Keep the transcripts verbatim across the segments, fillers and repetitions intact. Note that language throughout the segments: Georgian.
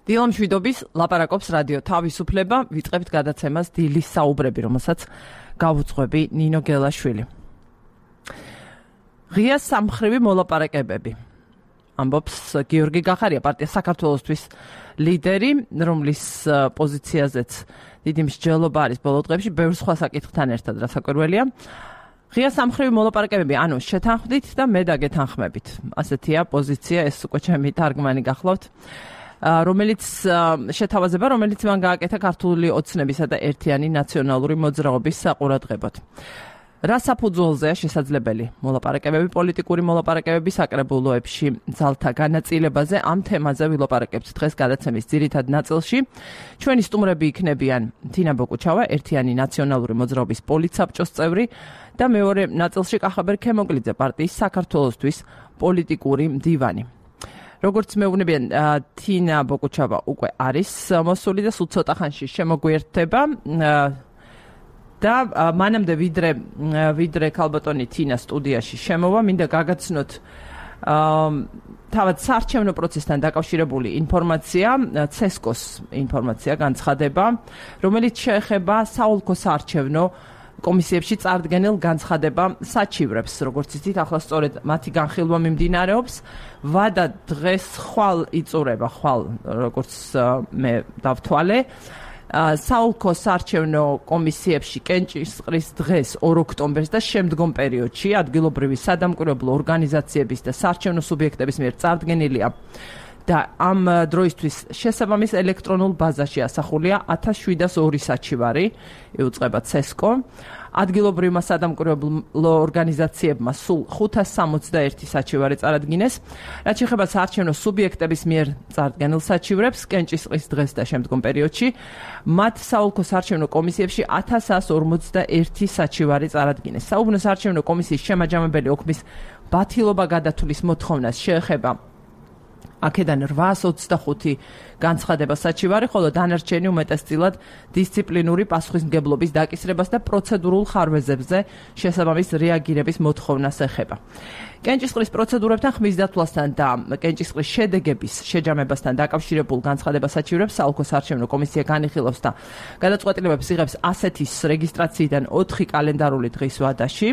დილამ შვიდობის ლაპარაკობს რადიო თავისუფლება, ვიწყებთ გადაცემას დილის საუბრები, რომელსაც გავუძღვები ნინო გელაშვილი. ღია სამმხრივი მოლაპარაკებები. ამბობს გიორგი გახარია, პარტია საქართველოსთვის ლიდერი, რომლის პოზიციაზეც დიდი მსჯელობა არის ბოლო დღეებში, ბევრ სხვა საკითხთან ერთად, რასაკვირველია. ღია სამმხრივი მოლაპარაკებები, ანუ შეთანხმდით და მე დაგეთანხმებით. ასეთია პოზიცია, ეს უკვე ჩემი თარგმანი გახლავთ. რომელიც შეთავაზება, რომელიც მან გააკეთა ქართული ოცნებისა და ერთიანი ნაციონალური მოძრაობის საყურადღებოდ. რა საფუძველზეა შესაძლებელი მოლაპარაკებები, პოლიტიკური მოლაპარაკებები საკრებულოებში ძალთა განაწილებაზე, ამ თემაზე ვილაპარაკებთ დღეს გადაცემის ძირითად ნაწილში. ჩვენი სტუმრები იქნებიან თინა ბოკუჩავა, ერთიანი ნაციონალური მოძრაობის პოლიტსაბჭოს წევრი და მეორე ნაწილში კახაბერ ქემოკლიძე, პარტიის საქართველოსთვის პოლიტიკური მდივანი. როგორც მეუბნებიან, თინა ბოკუჩავა უკვე არის მოსული და სულ ცოტა ხანში შემოგვიერთდება და მანამდე ვიდრე ვიდრე ქალბატონი თინა სტუდიაში შემოვა, მინდა გაგაცნოთ თავად საარჩევნო პროცესთან დაკავშირებული ინფორმაცია, ცესკოს ინფორმაცია, განცხადება, რომელიც შეეხება საოლქო საარჩევნო კომისიებში წარდგენილ განცხადება საჩივრებს, როგორც იცით, ახლა სწორედ მათი განხილვა მიმდინარეობს. ვადა დღეს ხვალ იწურება, ხვალ, როგორც მე დავთვალე. საოლქო საარჩევნო კომისიებში კენჭისყრის დღეს ორ ოქტომბერს და შემდგომ პერიოდში ადგილობრივი სადამკვირვებლო ორგანიზაციების და საარჩევნო სუბიექტების მიერ წარდგენილია და ამ დროისთვის შესაბამის ელექტრონულ ბაზაში ასახულია ათას შვიდას ორი საჩივარი, იუწყება ცესკო. ადგილობრივმა სადამკვირვებლო ორგანიზაციებმა სულ ხუთას სამოცდაერთი საჩივარი წარადგინეს. რაც შეეხება საარჩევნო სუბიექტების მიერ წარდგენილ საჩივრებს, კენჭისყრის დღეს და შემდგომ პერიოდში, მათ საოლქო საარჩევნო კომისიებში ათას ასს ორმოცდაერთი საჩივარი წარადგინეს. საუბნო საარჩევნო კომისიის შემაჯამებელი ოქმის ბათილობა გადათვლის მოთხოვნას შეეხება აქედან რვაას ოცდახუთი განცხადება საჩივარი, ხოლო დანარჩენი უმეტესწილად დისციპლინური პასუხისმგებლობის დაკისრებას და პროცედურულ ხარვეზებზე შესაბამის რეაგირების მოთხოვნას ეხება. კენჭისყრის პროცედურებთან, ხმის დათვლასთან და კენჭისყრის შედეგების შეჯამებასთან დაკავშირებულ განცხადება საჩივრებს საოლქო საარჩევნო კომისია განიხილავს და გადაწყვეტილებებს იღებს ასეთის რეგისტრაციიდან ოთხი კალენდარული დღის ვადაში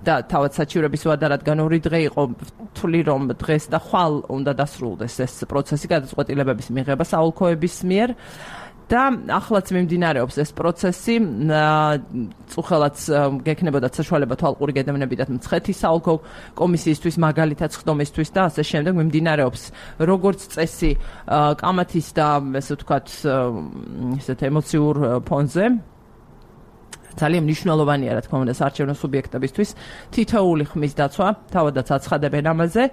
და თავად საჩივრების ვადა, რადგან ორი დღე იყო, ვთვლი რომ დღეს და ხვალ უნდა დასრულდეს ეს პროცესი გადაწყვეტილებების მიღება საოლქოების მიერ და ახლაც მიმდინარეობს ეს პროცესი, წუხელაც გექნებოდათ საშუალება თვალყური გედევნებიდათ მცხეთის საოლქო კომისიისთვის, მაგალითად ხდომისთვის და ასე შემდეგ მიმდინარეობს როგორც წესი კამათის და ესე ვთქვათ ესეთ ემოციურ ფონზე. ძალიან მნიშვნელოვანია, რა თქმა უნდა, საარჩევნო სუბიექტებისთვის თითოეული ხმის დაცვა, თავადაც აცხადებენ ამაზე.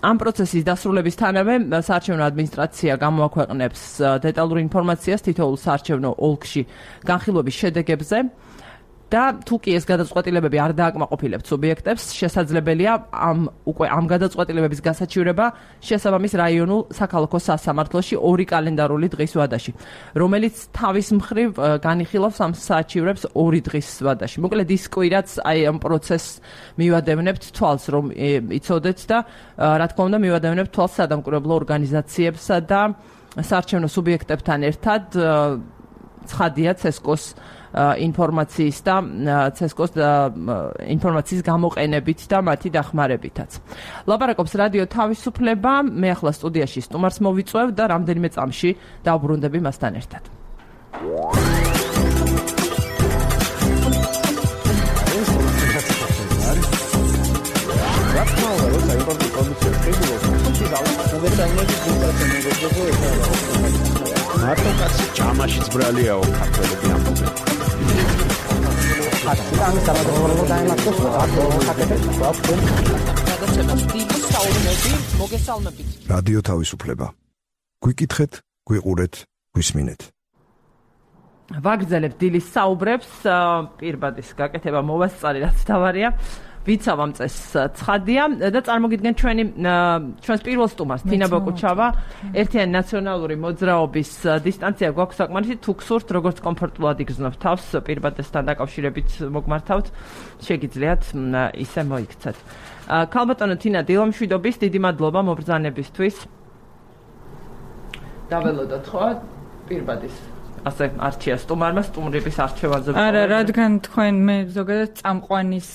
ამ პროცესის დასრულებისთანავე საარჩევნო ადმინისტრაცია გამოაქვეყნებს დეტალურ ინფორმაციას თითოეულ საარჩევნო ოლქში განხილვების შედეგებზე და თუ კი ეს გადაწყვეტილებები არ დააკმაყოფილებთ სუბიექტებს, შესაძლებელია ამ უკვე ამ გადაწყვეტილებების გასაჩივრება შესაბამის რაიონულ საქალაქო სასამართლოში ორი კალენდარული დღის ვადაში, რომელიც თავის მხრივ განიხილავს ამ საჩივრებს ორი დღის ვადაში. მოკლედ ის კვირაც აი ამ პროცესს მივადევნებთ თვალს, რომ იცოდეთ და რა თქმა უნდა მივადევნებთ თვალს სადამკვირვებლო ორგანიზაციებსა და საარჩევნო სუბიექტებთან ერთად. ცხადია ცესკოს ინფორმაციის და ცესკოს ინფორმაციის გამოყენებით და მათი დახმარებითაც. ლაპარაკობს რადიო თავისუფლება, მე ახლა სტუდიაში სტუმარს მოვიწვევ და რამდენიმე წამში დავბრუნდები მასთან ერთად. მარტო კაცი ჭამაშიც ბრალიაო ქართველები ამბობენ. გადაცემას დიდი საუბრები, მოგესალმებით. რადიო თავისუფლება. გვიკითხეთ, გვიყურეთ, გვისმინეთ. ვაგრძელებთ დილის საუბრებს, პირბადის გაკეთება მოვასწარი, რაც თავარია. ვიცავ ამ წესს ცხადია და წარმოგიდგენ ჩვენი ჩვენს პირველ სტუმარს თინა ბოკუჩავა, ერთიანი ნაციონალური მოძრაობის დისტანცია გვაქვს საკმარისი, თუ გსურთ როგორც კომფორტულად იგრძნობთ თავს პირბადესთან დაკავშირებით მოგმართავთ, შეგიძლიათ ისე მოიქცეთ. ქალბატონო თინა, დილამშვიდობის, დიდი მადლობა მობრძანებისთვის. დაველოდოთ ხო პირბადის ასე არჩია სტუმარმა სტუმრების არჩევანზე. არა, რადგან თქვენ მე ზოგადად წამყვანის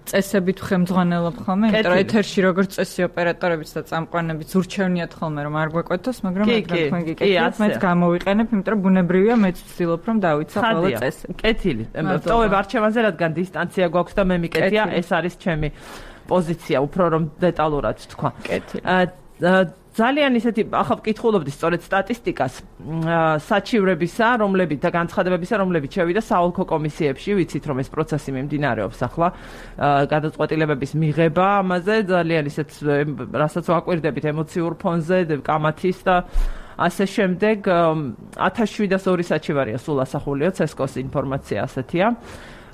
წესებით ხემძღვანელობ ხოლმე, იმიტომ რომ ეთერში როგორც წესი ოპერატორებიც და წამყვანებიც ურჩევნიათ ხოლმე რომ არ გვეკვეთოს, მაგრამ რადგან თქვენ გიკეთებთ, მეც გამოვიყენებ, იმიტომ რომ ბუნებრივია მეც ვცდილობ რომ დავიცვა ყველა წესი. კეთილი. ტოვებ არჩევანზე, რადგან დისტანცია გვაქვს და მე მიკეთია, ეს არის ჩემი პოზიცია, უფრო რომ დეტალურად თქვა. კეთილი. ძალიან ისეთი ახლა ვკითხულობდი სწორედ სტატისტიკას საჩივრებისა, რომლებიც და განცხადებებისა, რომლებიც შევიდა საოლქო კომისიებში, ვიცით რომ ეს პროცესი მიმდინარეობს ახლა, გადაწყვეტილებების მიღება ამაზე, ძალიან ისეთ რასაც ვაკვირდებით ემოციურ ფონზე, კამათის და ასე შემდეგ ათას შვიდასორი საჩივარია სულ ასახულიო, ცესკოს ინფორმაცია ასეთია.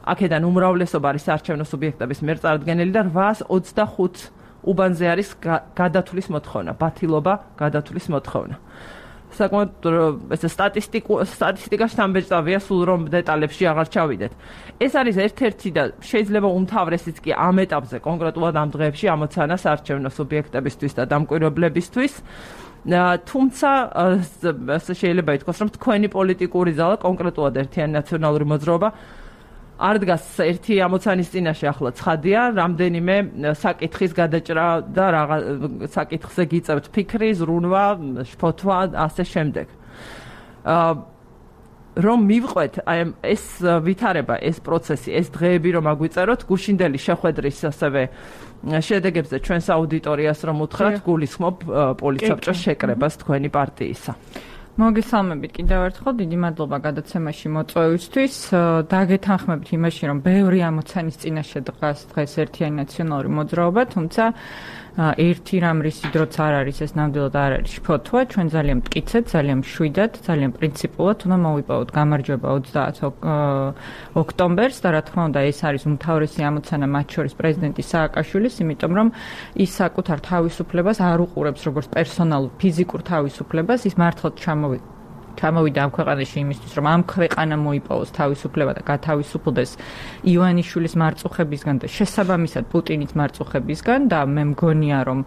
აქედან უმრავლესობა არის საარჩევნო სუბიექტების მიერ წარდგენილი და რვაას ოცდახუთ უბანზე არის გადათვლის მოთხოვნა, ბათილობა გადათვლის მოთხოვნა. საკმაოდ ეს სტატისტიკაში თამბეჭდავია, სულ რომ დეტალებში აღარ ჩავიდეთ. ეს არის ერთ-ერთი და შეიძლება უმთავრესიც კი ამ ეტაპზე, კონკრეტულად ამ დღეებში ამოცანა საარჩევნო სუბიექტებისთვის და დამკვირვებლებისთვის. თუმცა შეიძლება ითქვას, რომ თქვენი პოლიტიკური ზალა, კონკრეტულად ერთიანი ნაციონალური მოძრაობა არ დგას ერთი ამოცანის წინაშე ახლა ცხადია, რამდენიმე საკითხის გადაჭრა და რაღა საკითხზე გიწევთ ფიქრი, ზრუნვა, შფოთვა, ასე შემდეგ. რომ მივყვეთ აი ეს ვითარება, ეს პროცესი, ეს დღეები რომ აგვიწეროთ, გუშინდელი შეხვედრის ასევე შედეგებზე ჩვენს აუდიტორიას რომ უთხრათ, გულისხმობ პოლიცაბჭოს შეკრებას თქვენი პარტიისა. მოგესალმებით კიდევ ერთხელ, დიდი მადლობა გადაცემაში მოწვევისთვის. დაგეთანხმებით იმაში, რომ ბევრი ამოცანის წინაშე დგას დღეს ერთიანი ნაციონალური მოძრაობა, თუმცა ერთი რამ რისი დროც არ არის, ეს ნამდვილად არ არის შფოთვა. ჩვენ ძალიან მტკიცედ, ძალიან მშვიდად, ძალიან პრინციპულად უნდა მოვიპოვოთ გამარჯვება ოცდაათი ოქტომბერს და რა თქმა უნდა, ეს არის უმთავრესი ამოცანა მათ შორის პრეზიდენტი სააკაშვილის, იმიტომ რომ ის საკუთარ თავისუფლებას არ უყურებს როგორც პერსონალურ ფიზიკურ თავისუფლებას, ის მართლაც ჩამოვიდა ჩამოვიდა ამ ქვეყანაში იმისთვის, რომ ამ ქვეყანამ მოიპოვოს თავისუფლება და გათავისუფლდეს ივანიშვილის მარწუხებისგან და შესაბამისად პუტინის მარწუხებისგან და მე მგონია, რომ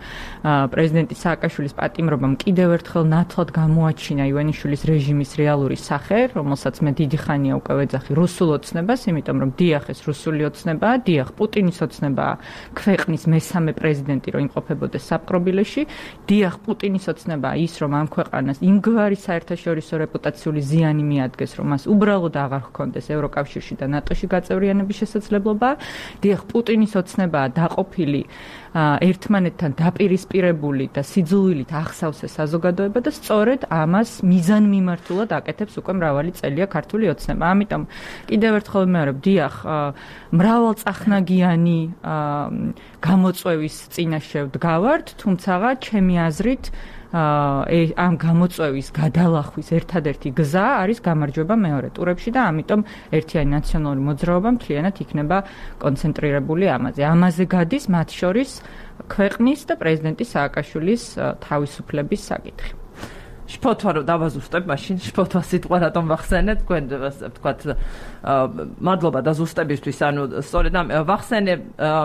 პრეზიდენტი სააკაშვილის პატიმრობამ კიდევ ერთხელ ნათლად გამოაჩინა ივანიშვილის რეჟიმის რეალური სახე, რომელსაც მე დიდი ხანია უკვე ვეძახი რუსულ ოცნებას, იმიტომ რომ დიახ ეს რუსული ოცნებაა, დიახ პუტინის ოცნებაა, ქვეყნის მესამე პრეზიდენტი რომ იმყოფებოდეს საპყრობილეში, დიახ პუტინის ოცნებაა ის, რომ ამ ქვეყანას იმგვარი საერთაშორისო რეპუტაციული ზიანი მიადგეს, რომ მას უბრალოდ აღარ ჰქონდეს ევროკავშირში და ნატოში გაწევრიანების შესაძლებლობა. დიახ, პუტინის ოცნებაა დაყოფილი ერთმანეთთან დაპირისპირებული და სიძულვილით ახსავს ეს საზოგადოება და სწორედ ამას მიზანმიმართულად აკეთებს უკვე მრავალი წელია ქართული ოცნება. ამიტომ კიდევ ერთხელ ვიმეორებ, დიახ, მრავალწახნაგიანი გამოწვევის წინაშე ვდგავართ, თუმცა ჩემი აზრით ამ გამოწვევის გადალახვის ერთადერთი გზა არის გამარჯვება მეორე ტურებში და ამიტომ ერთიანი ნაციონალური მოძრაობა მთლიანად იქნება კონცენტრირებული ამაზე. ამაზე გადის მათ შორის ქვეყნის და პრეზიდენტი სააკაშვილის თავისუფლების საკითხი. შფოთვა რომ დავაზუსტებ, მაშინ შფოთვა სიტყვა რატომ ვახსენე, თქვენ ვთქვათ, მადლობა დაზუსტებისთვის, ანუ სწორედ ამ ვახსენე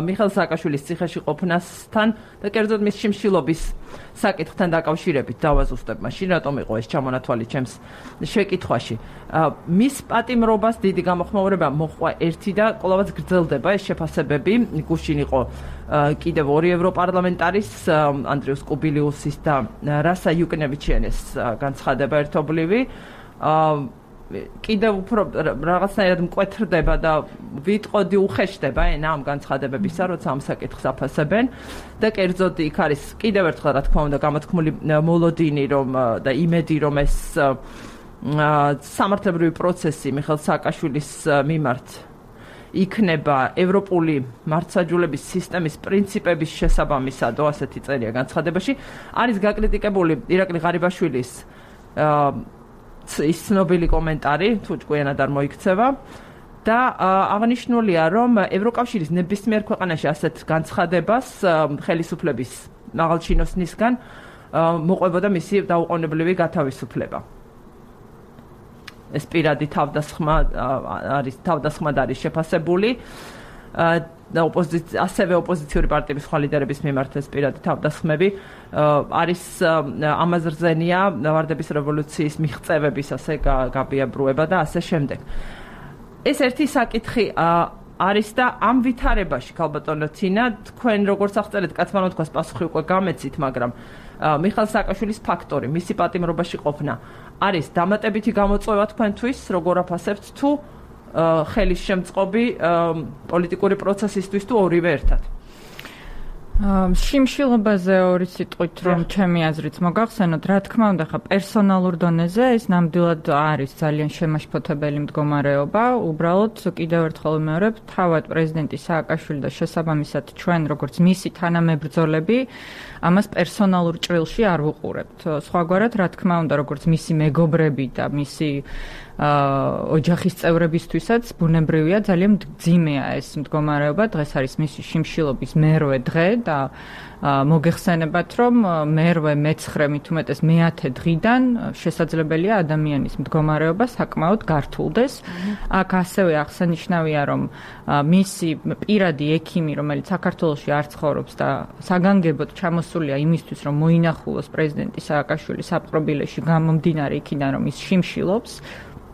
მიხეილ სააკაშვილის ციხეში ყოფნასთან და კერძოდ მის შიმშილობის საკითხთან დაკავშირებით დავაზუსტებ, მაშინ რატომ იყო ეს ჩამონათვალი ჩემს შეკითხვაში. მის პატიმრობას დიდი გამოხმაურება მოჰყვა ერთი და კვლავაც გრძელდება ეს შეფასებები. გუშინ იყო კიდევ ორი ევროპარლამენტარის, ანდრიუს კუბილიუსის და რასა იუკნევიჩიანის განცხადება ერთობლივი. კიდევ უფრო რაღაცნაირად მკვეთრდება და ვიტყოდი უხეშდება ენა ამ განცხადებებისა, როცა ამ საკითხს აფასებენ და კერძოდ იქ არის კიდევ ერთხელ რა თქმა უნდა გამოთქმული მოლოდინი რომ და იმედი რომ ეს სამართლებრივი პროცესი მიხეილ სააკაშვილის მიმართ იქნება ევროპული მართლმსაჯულების სისტემის პრინციპების შესაბამისად, ასეთი წერია განცხადებაში. არის გაკრიტიკებული ირაკლი ღარიბაშვილის ის ცნობილი კომენტარი, თუ ჭკვიანად არ მოიქცევა და აღნიშნულია, რომ ევროკავშირის ნებისმიერ ქვეყანაში ასეთ განცხადებას ხელისუფლების მაღალჩინოსნისგან მოყვებოდა მისი დაუყოვნებლივი გათავისუფლება. ეს პირადი თავდასხმა არის თავდასხმად არის შეფასებული. ოპოზიცია ასევე ოპოზიციური პარტიების სხვა ლიდერების მიმართ ეს პირადი თავდასხმები არის ამაზე რძენია ვარდების რევოლუციის მიღწევების ასე გაბიაბრუება და ასე შემდეგ. ეს ერთი საკითხი არის და ამ ვითარებაში ქალბატონო თინა თქვენ როგორც აღწერეთ კაცმანო თქვას პასუხი უკვე გამეცით, მაგრამ მიხაილ სააკაშვილის ფაქტორი, მისი პატიმრობაში ყოფნა არის დამატებითი გამოწვევა თქვენთვის, როგორ აფასებთ თუ ხელის შემწყობი პოლიტიკური პროცესისთვის თუ ორივე ერთად? შიმშილობაზე ორი სიტყვით რომ ჩემი აზრით მოგახსენოთ, რა თქმა უნდა, ხა პერსონალურ დონეზე ეს ნამდვილად არის ძალიან შემაშფოთებელი მდგომარეობა. უბრალოდ კიდევ ერთხელ ვიმეორებ, თავად პრეზიდენტი სააკაშვილი და შესაბამისად ჩვენ როგორც მისი თანამებრძოლები ამას პერსონალურ ჭრილში არ ვუყურებთ. სხვაგვარად, რა თქმა უნდა, როგორც მისი მეგობრები და მისი ოჯახის წევრებისთვისაც ბუნებრივია ძალიან მძიმეა ეს მდგომარეობა. დღეს არის მისი შიმშილობის მერვე დღე და მოგეხსენებათ, რომ მერვე, მეცხრე, მით უმეტეს მეათე დღიდან შესაძლებელია ადამიანის მდგომარეობა საკმაოდ გართულდეს. აქ ასევე აღსანიშნავია, რომ მისი პირადი ექიმი, რომელიც საქართველოში არ ცხოვრობს და საგანგებოდ ჩამოსულია იმისთვის, რომ მოინახულოს პრეზიდენტი სააკაშვილის საპყრობილეში გამომდინარე იქიდან, რომ ის შიმშილობს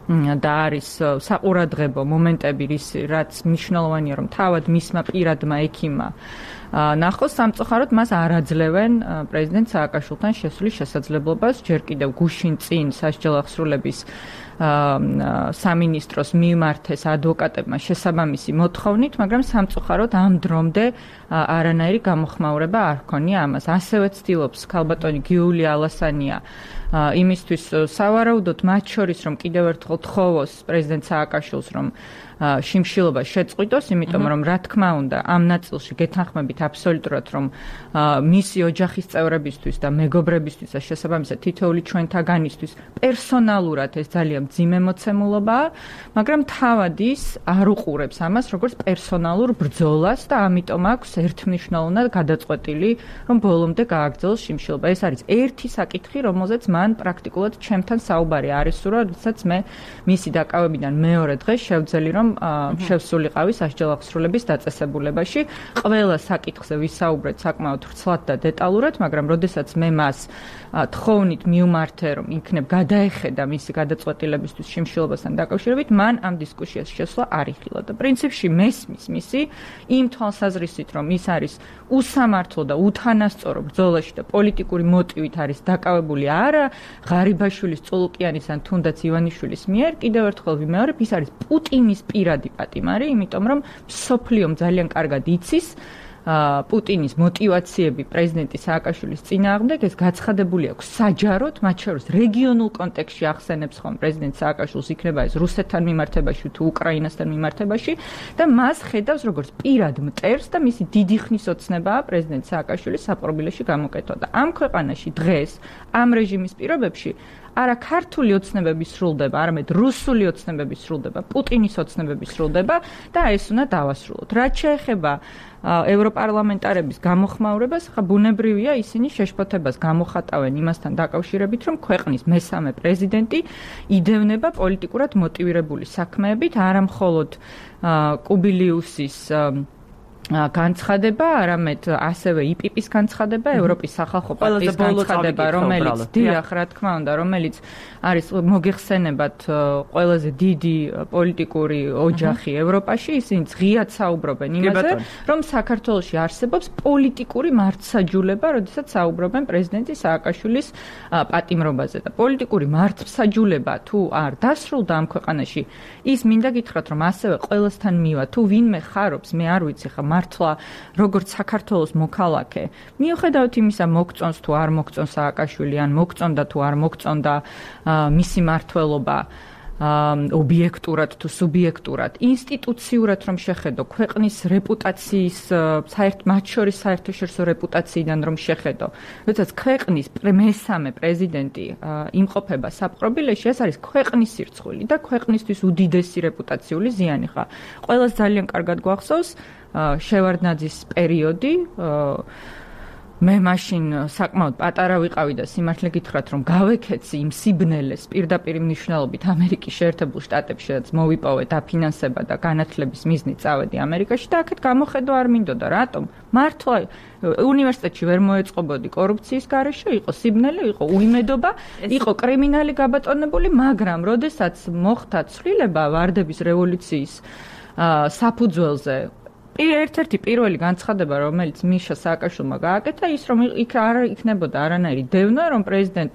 და არის საყურადღებო მომენტები, რაც მნიშვნელოვანია, რომ თავად მისმა პირადმა ექიმმა ნახოს, სამწუხაროდ მას არ აძლევენ პრეზიდენტ სააკაშვილთან შესვლის შესაძლებლობას. ჯერ კიდევ გუშინ წინ სასჯელ აღსრულების სამინისტროს მიმართეს ადვოკატებმა შესაბამისი მოთხოვნით, მაგრამ სამწუხაროდ ამ დრომდე არანაირი გამოხმაურება არ ჰქონია ამას. ასევე ცდილობს ქალბატონი გიულია ალასანია იმისთვის სავარაუდოდ მათ შორის, რომ კიდევ ერთხელ თხოვოს პრეზიდენტ სააკაშვილს, რომ შიმშილობა შეწყვიტოს, იმიტომ რომ რა თქმა უნდა ამ ნაწილში გეთანხმებით აბსოლუტურად, რომ მისი ოჯახის წევრებისთვის და მეგობრებისთვის და შესაბამისად თითოეული ჩვენთაგანისთვის პერსონალურად ეს ძალიან მძიმე მოცემულობაა, მაგრამ თავად ის არ უყურებს ამას როგორც პერსონალურ ბრძოლას და ამიტომ აქვს ერთმნიშვნელოვნად გადაწყვეტილი, რომ ბოლომდე გააგრძელოს შიმშილობა. ეს არის ერთი საკითხი, რომელზეც მან პრაქტიკულად ჩემთან საუბარი არისურვა, როდესაც მე მისი დაკავებიდან მეორე დღეს შევძელი, რომ შევსულიყავი სასჯელ აღსრულების დაწესებულებაში. ყველა საკითხზე ვისაუბრეთ საკმაოდ ვრცლად და დეტალურად, მაგრამ როდესაც მე მას თხოვნით მიუმართე, რომ იქნებ გადაეხედა მისი გადაწყვეტილებისთვის შიმშილობასთან დაკავშირებით, მან ამ დისკუსიას შესვლა არ იხილა და პრინციპში მესმის მისი იმ თვალსაზრისით, რომ ის არის უსამართლო და უთანასწორო ბრძოლაში და პოლიტიკური მოტივით არის დაკავებული არა ღარიბაშვილის, წულუკიანის ან თუნდაც ივანიშვილის მიერ, კიდევ ერთხელ ვიმეორებ, ის არის პუტინის პირადი პატიმარი, იმიტომ რომ მსოფლიომ ძალიან კარგად იცის პუტინის მოტივაციები პრეზიდენტი სააკაშვილის წინააღმდეგ, ეს გაცხადებული აქვს საჯაროდ, მათ შორის რეგიონულ კონტექსტში ახსენებს ხომ პრეზიდენტ სააკაშვილს, იქნება ეს რუსეთთან მიმართებაში თუ უკრაინასთან მიმართებაში და მას ხედავს როგორც პირად მტერს და მისი დიდი ხნის ოცნებაა პრეზიდენტ სააკაშვილის საპყრობილეში გამოკეთვა და ამ ქვეყანაში დღეს ამ რეჟიმის პირობებში არა ქართული ოცნებები სრულდება, არამედ რუსული ოცნებები სრულდება, პუტინის ოცნებები სრულდება და ეს უნდა დავასრულოთ. რაც შეეხება ევროპარლამენტარების გამოხმაურებას, ხა ბუნებრივია ისინი შეშფოთებას გამოხატავენ იმასთან დაკავშირებით, რომ ქვეყნის მესამე პრეზიდენტი იდევნება პოლიტიკურად მოტივირებული საქმეებით, არა მხოლოდ კუბილიუსის განცხადება, არამედ ასევე იპიპის განცხადება, ევროპის სახალხო პარტიის განცხადება, რომელიც დიახ, რა თქმა უნდა, რომელიც არის მოგეხსენებათ ყველაზე დიდი პოლიტიკური ოჯახი ევროპაში, ისინი ღიად საუბრობენ იმაზე, რომ საქართველოში არსებობს პოლიტიკური მართლმსაჯულება, როდესაც საუბრობენ პრეზიდენტი სააკაშვილის პატიმრობაზე და პოლიტიკური მართლმსაჯულება თუ არ დასრულდა ამ ქვეყანაში, ის მინდა გითხრათ, რომ ასევე ყველასთან მივა, თუ ვინმე ხარობს, მე არ ვიცი ხა მართლა როგორც საქართველოს მოქალაქე, მიუხედავად იმისა მოგწონს თუ არ მოგწონს სააკაშვილი, ან მოგწონდა თუ არ მოგწონდა მისი მართველობა ობიექტურად თუ სუბიექტურად, ინსტიტუციურად რომ შეხედო, ქვეყნის რეპუტაციის, მათ შორის საერთაშორისო რეპუტაციიდან რომ შეხედო, როდესაც ქვეყნის მესამე პრეზიდენტი იმყოფება საპყრობილეში, ეს არის ქვეყნის სირცხვილი და ქვეყნისთვის უდიდესი რეპუტაციული ზიანი ხა. ყველას ძალიან კარგად გვახსოვს შევარდნაძის პერიოდი, მე მაშინ საკმაოდ პატარა ვიყავი და სიმართლე გითხრათ რომ გავეკეცი იმ სიბნელეს პირდაპირ მნიშვნელობით ამერიკის შეერთებულ შტატებში რაც მოვიპოვე დაფინანსება და განათლების მიზნით წავედი ამერიკაში და აქეთ გამოხედვა არ მინდოდა რატომ მართლა უნივერსიტეტში ვერ მოეწყობოდი კორუფციის გარეშე იყო სიბნელე იყო უიმედობა იყო კრიმინალი გაბატონებული მაგრამ როდესაც მოხდა ცვლილება ვარდების რევოლუციის საფუძველზე ერთ-ერთი პირველი განცხადება, რომელიც მიშა სააკაშვილმა გააკეთა, ის რომ იქ არ იქნებოდა არანაირი დევნა, რომ პრეზიდენტ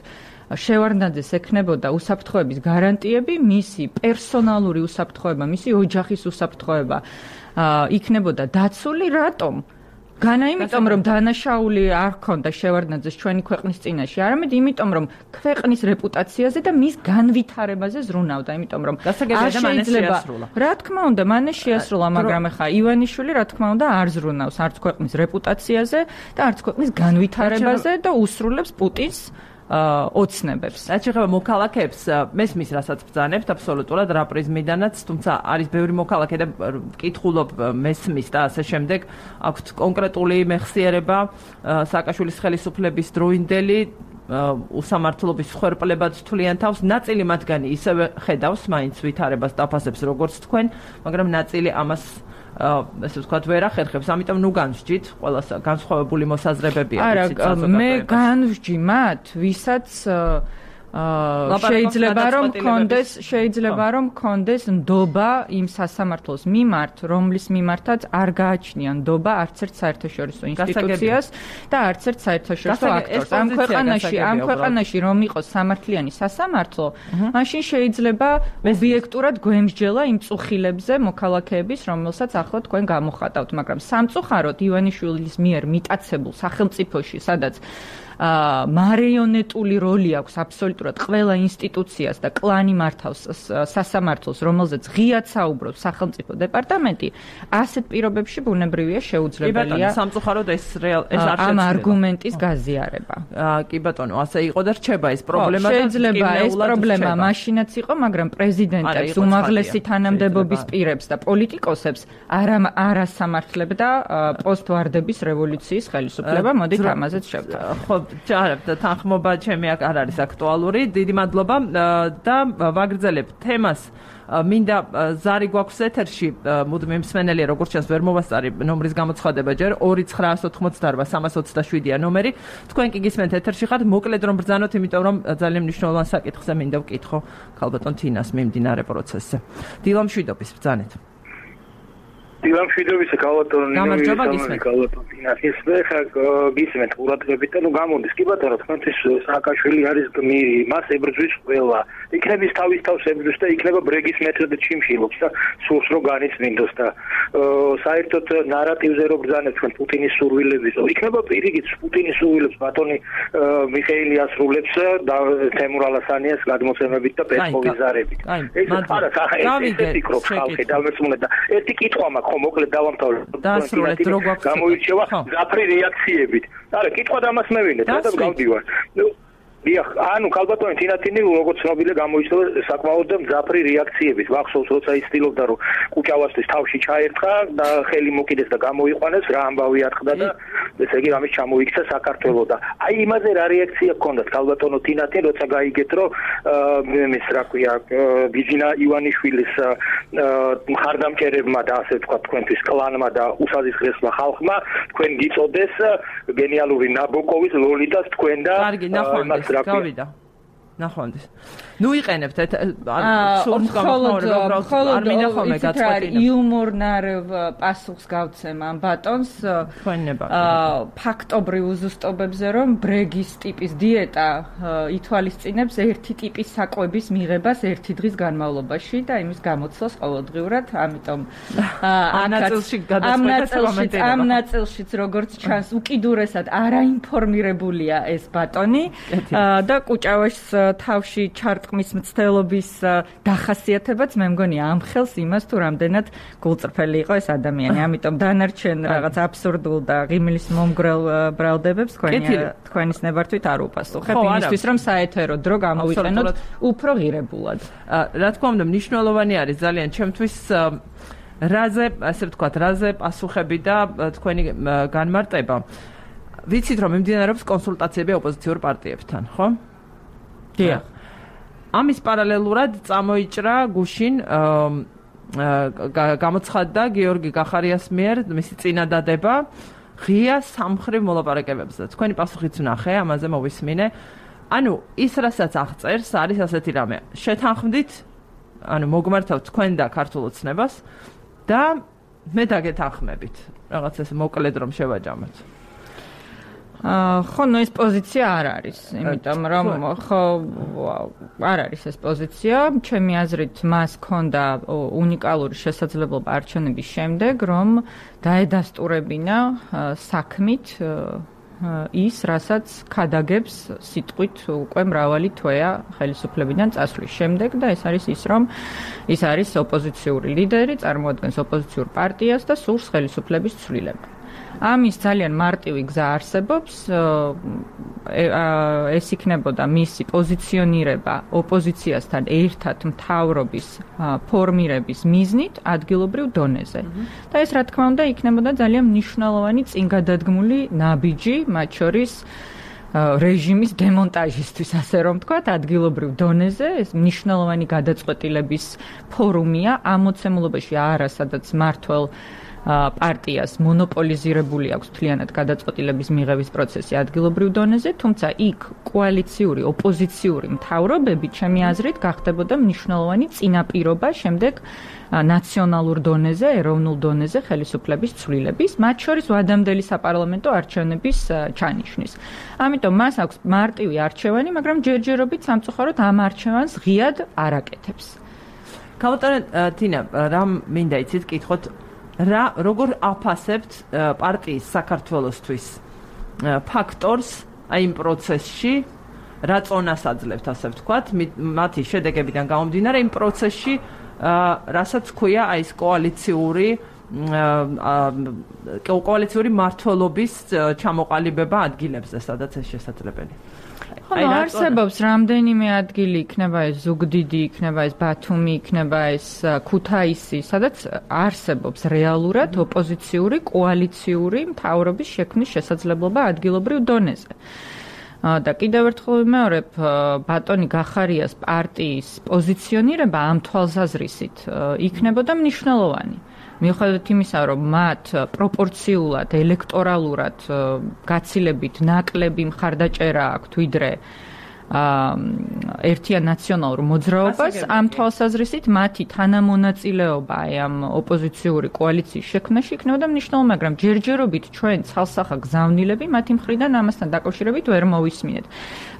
შევარდნაძეს ექნებოდა უსაფრთხოების გარანტიები, მისი პერსონალური უსაფრთხოება, მისი ოჯახის უსაფრთხოება იქნებოდა დაცული, რატომ? განა იმიტომ რომ დანაშაული არ ქონდა შევარდნაძეს ჩვენი ქვეყნის წინაშე, არამედ იმიტომ რომ ქვეყნის რეპუტაციაზე და მის განვითარებაზე ზრუნავდა, იმიტომ რომ შეიძლება რა თქმა უნდა მანე შეასრულა, მაგრამ ახლა ივანიშვილი რა თქმა უნდა არ ზრუნავს არც ქვეყნის რეპუტაციაზე და არც ქვეყნის განვითარებაზე და usრულებს პუტინს ოცნებებს. რაც შეეხება მოქალაქეებს, მესმის რასაც ბრძანებთ აბსოლუტურად რა პრიზმიდანაც, თუმცა არის ბევრი მოქალაქე და კითხულობ მესმის და ასე შემდეგ, აქვთ კონკრეტული მეხსიერება სააკაშვილის ხელისუფლების დროინდელი უსამართლობის ხერპლებად თვლიან თავს, ნაწილი მათგანი ისევე ხედავს მაინც ვითარებას დაფასებს როგორც თქვენ, მაგრამ ნაწილი ამას ესე ვთქვათ ვერ ახერხებს, ამიტომ ნუ განსჯით, ყველა განსხვავებული მოსაზრებებია. არა, მე განსჯი მათ, ვისაც შეიძლება რომ კონდეს შეიძლება რომ კონდეს ნდობა იმ სასამართლოს მიმართ, რომლის მიმართაც არ გააჩნია ნდობა არც ერთ საერთაშორისო ინსტიტუციას და არც ერთ საერთაშორისო აქტორს. ამ ქვეყანაში, ამ ქვეყანაში რომ იყოს სამართლიანი სასამართლო, მაშინ შეიძლება ობიექტურად გვემსჯელა იმ წუხილებზე მოქალაქეების, რომელსაც ახლა თქვენ გამოხატავთ, მაგრამ სამწუხაროდ ივანიშვილის მიერ მიტაცებულ სახელმწიფოში, სადაც მარიონეტული როლი აქვს აბსოლუტურად ყველა ინსტიტუციას და კლანი მართავს სასამართლოს, რომელზეც ღიად საუბრობს სახელმწიფო დეპარტამენტი, ასეთ პირობებში ბუნებრივია შეუძლებელია სამწუხაროდ ეს ეს არ ამ არგუმენტის გაზიარება. კი ბატონო, ასე იყო და რჩება ეს პრობლემა და შეიძლება ეს პრობლემა მაშინაც იყო, მაგრამ პრეზიდენტებს, უმაღლესი თანამდებობის პირებს და პოლიტიკოსებს არ არასამართლებდა პოსტვარდების რევოლუციის ხელისუფლება. მოდით ამაზეც შევთანხმდეთ. ჯარებ და თანხმობა ჩემი აქ არ არის აქტუალური. დიდი მადლობა და ვაგრძელებ თემას. მინდა ზარი გვაქვს ეთერში, მუდმივი მსმენელია, როგორც ჩანს ვერ მოვასწარი ნომრის გამოცხადება ჯერ ორი ცხრაას ოთხმოცდაარბა სამას ოცდაშვიდია ნომერი. თქვენ კი გისმენთ ეთერში ხართ, მოკლედ რომ ბრძანოთ, იმიტომ რომ ძალიან მნიშვნელოვან საკითხზე მინდა ვკითხო ქალბატონ თინას მიმდინარე პროცესზე. დილამშვიდობის ბრძანეთ. დილამშვიდობის ქალბატონი გამარჯობა გისმენთ. ის მე ხა გისმენთ ყურადღებით და ნუ გამოდის კი ბატონო თქვენთვის სააკაშვილი არის გმირი, მას ებრძვის ყველა. იქნების თავის თავს ებრძვის და იქნება ბრეგის მეთოდით ჩიმშილობს და სურს რომ განიცმინდოს და საერთოდ ნარატივზე რო ბრძანებთ თქვენ პუტინის სურვილების, იქნება პირიქით პუტინის სურვილებს ბატონი მიხეილი ასრულებს და თემურ ალასანიას გადმოცემებით და პესკოვის ზარებით. ეს არა ეს ფიქრობს ხალხი დამეწმუნდა და ერთი კითხვა მაქვს ხო მოკლედ დავამთავრე. დაასრულეთ რო გვაქვს გამოირჩევა ზაფრი რეაქციებით. არა, კითხვა და ამას მევინეთ, რატომ გავდივარ? დიახ, ანუ ქალბატონი თინათინი როგორც ცნობილია გამოირჩევა საკმაოდ მძაფრი რეაქციებით. ვახსოვს როცა ის ცდილობდა რომ კუჭავასთვის თავში ჩაერთხა და ხელი მოკიდეს და გამოიყვანეს, რა ამბავი ატყდა და ესე იგი ამის ჩამოიქცა საქართველოს და აი იმაზე რა რეაქცია ჰქონდათ ქალბატონო თინათინი, როცა გაიგეთ რომ ეს რა ქვია ბიძინა ივანიშვილის მხარდამჭერებმა და ასე ვთქვათ თქვენთვის კლანმა და უსაზღვრესმა ხალხმა თქვენ გიწოდეს გენიალური ნაბოკოვის ლოლიტას თქვენ და იმას გავიდა. ნახვამდის. ნუ იყენებთ სულს გამოხმაურებ, არ მინდა ხოლმე გაწყვეტინა. იუმორნარევ პასუხს გავცემ ამ ბატონს. თქვენება. ფაქტობრივ უზუსტობებზე რომ ბრეგის ტიპის დიეტა ითვალისწინებს ერთი ტიპის საკვების მიღებას ერთი დღის განმავლობაში და იმის გამოცვლას ყოველდღიურად, ამიტომ ამ ნაწილშიც როგორც ჩანს უკიდურესად არაინფორმირებულია ეს ბატონი და კუჭავაშს თავში ჩარტყმის მცდელობის დახასიათებაც მე მგონი ამხელს იმას თუ რამდენად გულწრფელი იყო ეს ადამიანი. ამიტომ დანარჩენ რაღაც აბსურდულ და ღიმილის მომგრელ ბრალდებებს თქვენის ნებართვით არ უპასუხებ იმისთვის რომ საეთერო დრო გამოვიყენოთ უფრო ღირებულად. რა თქმა უნდა მნიშვნელოვანი არის ძალიან ჩემთვის რაზე, ასე ვთქვათ, რაზე პასუხები და თქვენი განმარტება. ვიცით რომ მიმდინარეობს კონსულტაციები ოპოზიციურ პარტიებთან, ხო? დიახ. ამის პარალელურად წამოიჭრა გუშინ გამოცხადდა გიორგი გახარიას მიერ მისი წინადადება ღია სამხრივ მოლაპარაკებებზე. თქვენი პასუხიც ვნახე, ამაზე მოვისმინე. ანუ ის რასაც აღწერს არის ასეთი რამე. შეთანხმდით, ანუ მოგმართავთ თქვენ და ქართულ ოცნებას და მე დაგეთანხმებით. რაღაც ეს მოკლედ რომ შევაჯამოთ. აა ხო, ნუ ეს პოზიცია არ არის, იმიტომ რომ ხო არ არის ეს პოზიცია. ჩემი აზრით, მას ჰქონდა უნიკალური შესაძლებლობა არჩევნების შემდეგ, რომ დაედასტურებინა საქმით ის, რასაც ქადაგებს სიტყვით უკვე მრავალი თვეა ხელისუფლებიდან წასვლის შემდეგ და ეს არის ის, რომ ის არის ოპოზიციური ლიდერი, წარმოადგენს ოპოზიციურ პარტიას და სურს ხელისუფლების ცვლილება. ამის ძალიან მარტივი გზა არსებობს, ეს იქნებოდა მისი პოზიციონირება ოპოზიციასთან ერთად მთავრობის ფორმირების მიზნით ადგილობრივ დონეზე. და ეს რა თქმა უნდა იქნებოდა ძალიან მნიშვნელოვანი წინგადადგმული ნაბიჯი, მათ შორის რეჟიმის დემონტაჟისთვის, ასე რომ ვთქვათ, ადგილობრივ დონეზე. ეს მნიშვნელოვანი გადაწყვეტილების ფორუმია ამ მოცემულობაში არა, სადაც მართლ პარტიას მონოპოლიზირებული აქვს მთლიანად გადაწყვეტილების მიღების პროცესი ადგილობრივ დონეზე, თუმცა იქ კოალიციური, ოპოზიციური მთავრობები, ჩემი აზრით, გახდებოდა მნიშვნელოვანი წინაპირობა შემდეგ ნაციონალურ დონეზე, ეროვნულ დონეზე ხელისუფლების ცვლილების, მათ შორის ვადამდელი საპარლამენტო არჩევნების ჩანიშვნის. ამიტომ მას აქვს მარტივი არჩევანი, მაგრამ ჯერჯერობით სამწუხაროდ ამ არჩევანს ღიად არ აკეთებს. ქალბატონო თინა, რა მინდა იცით, კითხოთ რა როგორ აფასებთ პარტიის საქართველოსთვის ფაქტორს აი იმ პროცესში, რა წონას აძლევთ, ასე ვთქვათ, მათი შედეგებიდან გამომდინარე იმ პროცესში, რასაც ქვია აი ეს კოალიციური კოალიციური მმართველობის ჩამოყალიბება ადგილებზე, სადაც ეს შესაძლებელი. ხო, არსებობს რამდენიმე ადგილი, იქნება ეს ზუგდიდი, იქნება ეს ბათუმი, იქნება ეს ქუთაისი, სადაც არსებობს რეალურად ოპოზიციური კოალიციური მთავრობის შექმნის შესაძლებლობა ადგილობრივ დონეზე. და კიდევ ერთხელ ვიმეორებ, ბატონი გახარიას პარტიის პოზიციონირება ამ თვალსაზრისით იქნებოდა მნიშვნელოვანი. მიუხედავად იმისა, რომ მათ პროპორციულად, ელექტორალურად გაცილებით ნაკლები მხარდაჭერა აქვთ ვიდრე ერთიან ნაციონალურ მოძრაობას, ამ თვალსაზრისით მათი თანამონაწილეობა ამ ოპოზიციური კოალიციის შექმნაში იქნებოდა მნიშვნელოვანი, მაგრამ ჯერჯერობით ჩვენ ცალსახა გზავნილები მათი მხრიდან ამასთან დაკავშირებით ვერ მოვისმინეთ.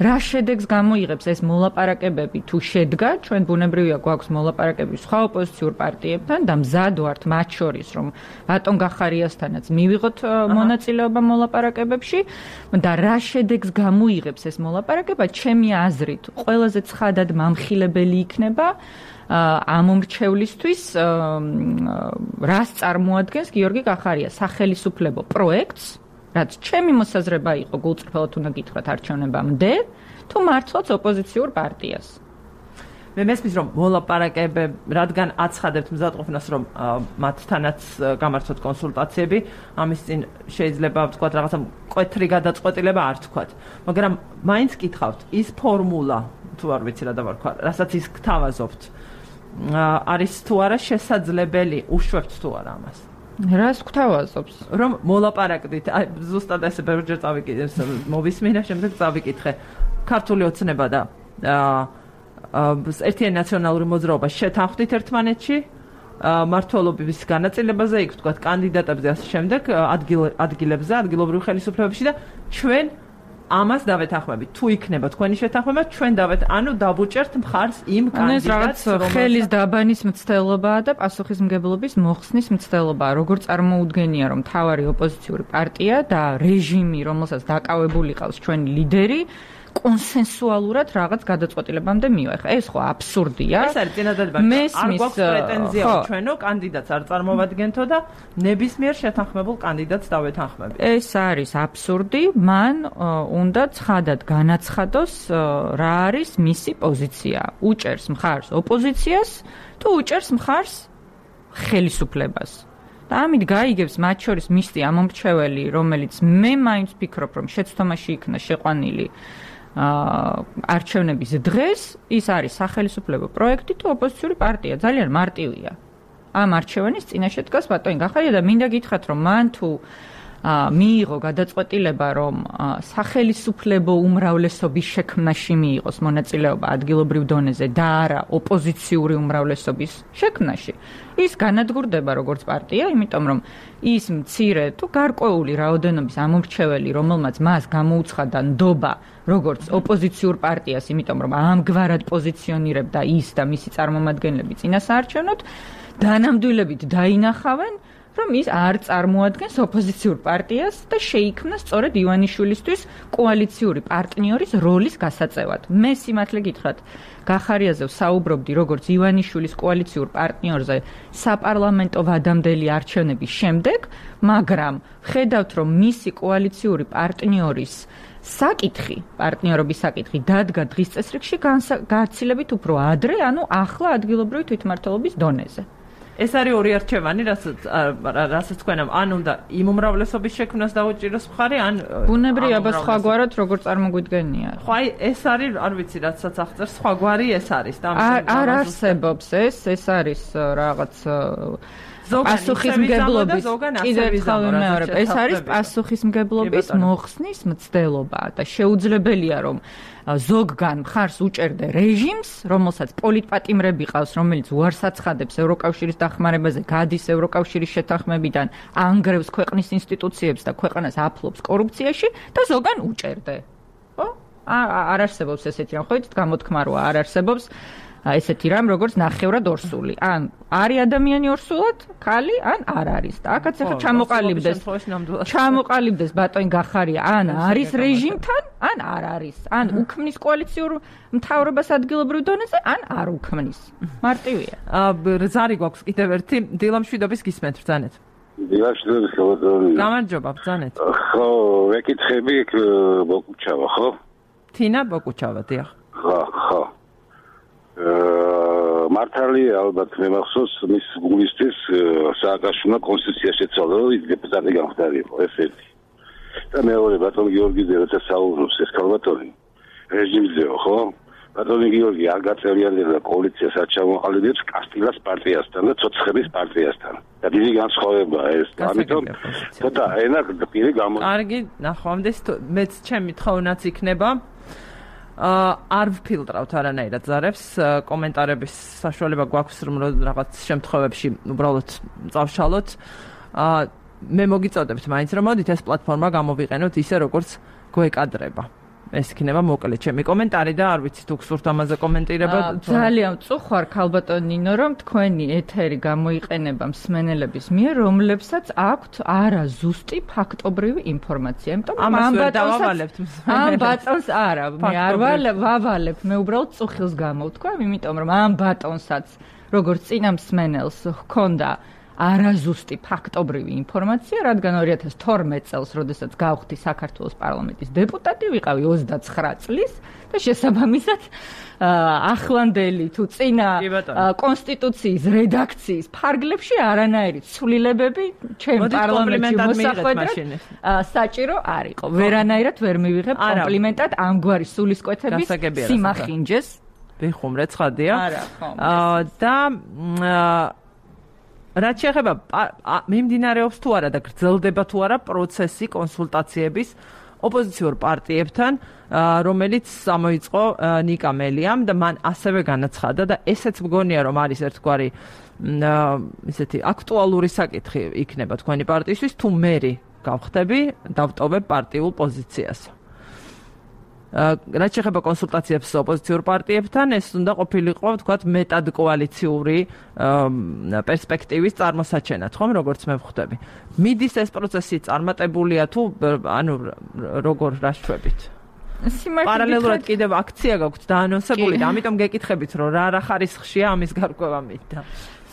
რა შედეგს გამოიღებს ეს მოლაპარაკებები თუ შედგა, ჩვენ ბუნებრივია გვაქვს მოლაპარაკებები სხვა ოპოზიციურ პარტიებთან და მზად ვართ მათ შორის, რომ ბატონ გახარიასთანაც მივიღოთ მონაწილეობა მოლაპარაკებებში და რა შედეგს გამოიღებს ეს მოლაპარაკება, ჩემი აზრით, ყველაზე ცხადად მამხილებელი იქნება ამ მომრჩევლისთვის, რას წარმოადგენს გიორგი გახარია სახელისუფლებო პროექტს, რაც ჩემი მოსაზრება იყო, გულწრფელად უნდა გითხრათ არჩევნებამდე, თუ მართლაც ოპოზიციურ პარტიას. მე მესმის რომ მოლაპარაკებები, რადგან აცხადებთ მზადყოფნას, რომ მათთანაც გამართოთ კონსულტაციები, ამის წინ შეიძლება ვთქვათ რაღაცა მკვეთრი გადაწყვეტილება არ თქვათ. მაგრამ მაინც გითხავთ, ის ფორმულა, თუ არ ვიცი რა დავარქვა, რასაც ის გთავაზობთ, არის თუ არა შესაძლებელი, უშვებთ თუ არა ამას. რას გთავაზობს? რომ მოლაპარაკდით, აი ზუსტად ესე ბევრჯერ წავიკითხე, მოვისმინე, შემდეგ წავიკითხე. ქართული ოცნება და ერთიანი ნაციონალური მოძრაობა შეთანხმდით ერთმანეთში მმართველობის განაწილებაზე, იქ ვთქვათ კანდიდატებზე, ასე შემდეგ ადგილებზე, ადგილობრივ ხელისუფლებებში და ჩვენ ამას დავეთანხმებით. თუ იქნება თქვენი შეთანხმება, ჩვენ დავეთ, ანუ დავუჭერთ მხარს იმ კანდიდატს, რომელსაც ხელის დაბანის მცდელობაა და პასუხისმგებლობის მოხსნის მცდელობაა. როგორ წარმოუდგენია, რომ მთავარი ოპოზიციური პარტია და რეჟიმი, რომელსაც დაკავებული ყავს ჩვენი ლიდერი, კონსენსუალურად რაღაც გადაწყვეტილებამდე მივეხა. ეს ხო აბსურდია. ეს არის წინადადება. არ გვაქვს პრეტენზია, რომ ჩვენო კანდიდატს არ წარმოვადგენთო და ნებისმიერ შეთანხმებულ კანდიდატს დავეთანხმებით. ეს არის აბსურდი. მან უნდა ცხადად განაცხადოს, რა არის მისი პოზიცია. უჭერს მხარს ოპოზიციას თუ უჭერს მხარს ხელისუფლებას. და ამით გაიგებს მათ შორის მისი ამომრჩეველი, რომელიც მე მაინც ვფიქრობ, რომ შეცდომაში იქნა შეყვანილი არჩევნების დღეს, ის არის სახელმწიფო პროექტი თუ ოპოზიციური პარტია, ძალიან მარტივია. ამ არჩევანის წინაშე დგას ბატონი გახარია და მინდა გითხრათ, რომ მან თუ მიიღო გადაწყვეტილება, რომ სახელმწიფო უმრავლესობის შექმნაში მიიღოს მონაწილეობა ადგილობრივ დონეზე და არა ოპოზიციური უმრავლესობის შექმნაში, ის განადგურდება როგორც პარტია, იმიტომ რომ ის მცირე თუ გარკვეული რაოდენობის ამომრჩეველი, რომელმაც მას გამოუცხადა ნდობა როგორც ოპოზიციურ პარტიას, იმიტომ რომ ამგვარად პოზიციონირებდა ის და მისი წარმომადგენლები წინასაარჩევნოდ, დანამდვილებით დაინახავენ, რომ ის არ წარმოადგენს ოპოზიციურ პარტიას და შეიქმნა სწორედ ივანიშვილისთვის კოალიციური პარტნიორის როლის გასაწევად. მე სიმართლე გითხრათ, გახარიაზე ვსაუბრობდი როგორც ივანიშვილის კოალიციურ პარტნიორზე საპარლამენტო ვადამდელი არჩევნების შემდეგ, მაგრამ ხედავთ, რომ მისი კოალიციური პარტნიორის საკითხი, პარტნიორობის საკითხი დადგა დღის წესრიგში გაცილებით უფრო ადრე, ანუ ახლა ადგილობრივი თვითმმართველობის დონეზე. ეს არის ორი არჩევანი, რასაც რასაც თქვენამ, ან უნდა იმ უმრავლესობის შექმნას დაუჭიროს მხარი, ან ბუნებრივია სხვაგვარად როგორ წარმოგვიდგენია. ხო, აი ეს არის, არ ვიცი, რასაც აღწერს, სხვაგვარი ეს არის და არ არსებობს ეს, ეს არის რაღაც პასუხისმგებლობის კიდევ ერთხელ ვიმეორებ, ეს არის პასუხისმგებლობის მოხსნის მცდელობა და შეუძლებელია რომ ზოგგან მხარს უჭერდე რეჟიმს, რომელსაც პოლიტპატიმრები ყავს, რომელიც უარს აცხადებს ევროკავშირის დახმარებაზე, გადის ევროკავშირის შეთანხმებიდან, ანგრევს ქვეყნის ინსტიტუციებს და ქვეყანას აფლობს კორუფციაში და ზოგან უჭერდე. ხო? არ არსებობს ესეთი რამ, ხო იცით, გამოთქმა როა არ არსებობს ესეთი რამ, როგორც ნახევრად ორსული. ან არის ადამიანი ორსულად, ქალი, ან არ არის. და აქაც ახლა ჩამოყალიბდეს. ჩამოყალიბდეს ბატონი გახარია, ან არის რეჟიმთან, ან არ არის. ან უქმნის კოალიციურ მთავრობას ადგილობრივ დონეზე, ან არ უქმნის. მარტივია. ზარი გვაქვს კიდევ ერთი დილამშვიდობის გისმენთ ბრძანეთ. დილამშვიდობის ხალხო. გამარჯობა ბრძანეთ. ხო, ვეკითხები ბოკუჩავა, ხო? თინა ბოკუჩავა, დიახ. ხო, ხო. მართალია ალბათ მე მახსოვს მის გულისთვის სააკაშვილმა კონსტიტუცია შეცვალა, რომ ის დეპუტატი გამხდარიყო, ეს ერთი. და მეორე ბატონ გიორგიძე როცა საუბრობს ეს ქალბატონი რეჟიმზეო, ხო? ბატონი გიორგი არ გაწევრიანებდა კოალიციას არ ჩამოყალიბებს კასტილას პარტიასთან და ცოცხების პარტიასთან. და დიდი განსხვავებაა ეს. ამიტომ ცოტა ენა პირი გამო. კარგი, ნახვამდის მეც ჩემი თხოვნაც იქნება. არ ვფილტრავთ არანაირად ზარებს, კომენტარების საშუალება გვაქვს, რომ რაღაც შემთხვევებში უბრალოდ წავშალოთ. მე მოგიწოდებთ მაინც, რომ მოდით ეს პლატფორმა გამოვიყენოთ ისე, როგორც გვეკადრება. ეს იქნება მოკლე ჩემი კომენტარი და არ ვიცი თუ გსურთ ამაზე კომენტირება. ძალიან წუხარ ქალბატონ ნინო, რომ თქვენი ეთერი გამოიყენება მსმენელების მიერ, რომლებსაც აქვთ არა ზუსტი ფაქტობრივი ინფორმაცია. იმიტომ რომ ამ ბატონს ამ ბატონს არა, მე არ ვავალებ, მე უბრალოდ წუხილს გამოვთქვა, იმიტომ რომ ამ ბატონსაც როგორც წინა მსმენელს ჰქონდა არაზუსტი ფაქტობრივი ინფორმაცია, რადგან ორი ათას თორმეტ წელს, როდესაც გავხდი საქართველოს პარლამენტის დეპუტატი, ვიყავი ოცდაცხრა წლის და შესაბამისად ახლანდელი თუ წინა კონსტიტუციის რედაქციის ფარგლებში არანაირი ცვლილებები ჩემ პარლამენტში მოსახვედრად საჭირო არ იყო. ვერანაირად ვერ მივიღებ კომპლიმენტად ამგვარი სულისკვეთების სიმახინჯეს. ვიხუმრე ცხადია. არა, ხო. და რაც შეეხება მიმდინარეობს თუ არა და გრძელდება თუ არა პროცესი კონსულტაციების ოპოზიციურ პარტიებთან, რომელიც გამოიწყო ნიკა მელიამ და მან ასევე განაცხადა და ესეც მგონია რომ არის ერთგვარი ისეთი აქტუალური საკითხი იქნება თქვენი პარტიისთვის, თუ მერი გავხდები, დავტოვებ პარტიულ პოზიციას. რაც შეეხება კონსულტაციებს ოპოზიციურ პარტიებთან, ეს უნდა ყოფილიყო, თქვათ, მეტად კოალიციური პერსპექტივის წარმოსაჩენად, ხომ, როგორც მე ვხვდები. მიდის ეს პროცესი წარმატებულია თუ ანუ როგორ რაშვებით? პარალელურად კიდევ აქცია გაქვთ დაანონსებული და ამიტომ გეკითხებით, რომ რა რა ხარისხშია ამის გარკვევა მინდა.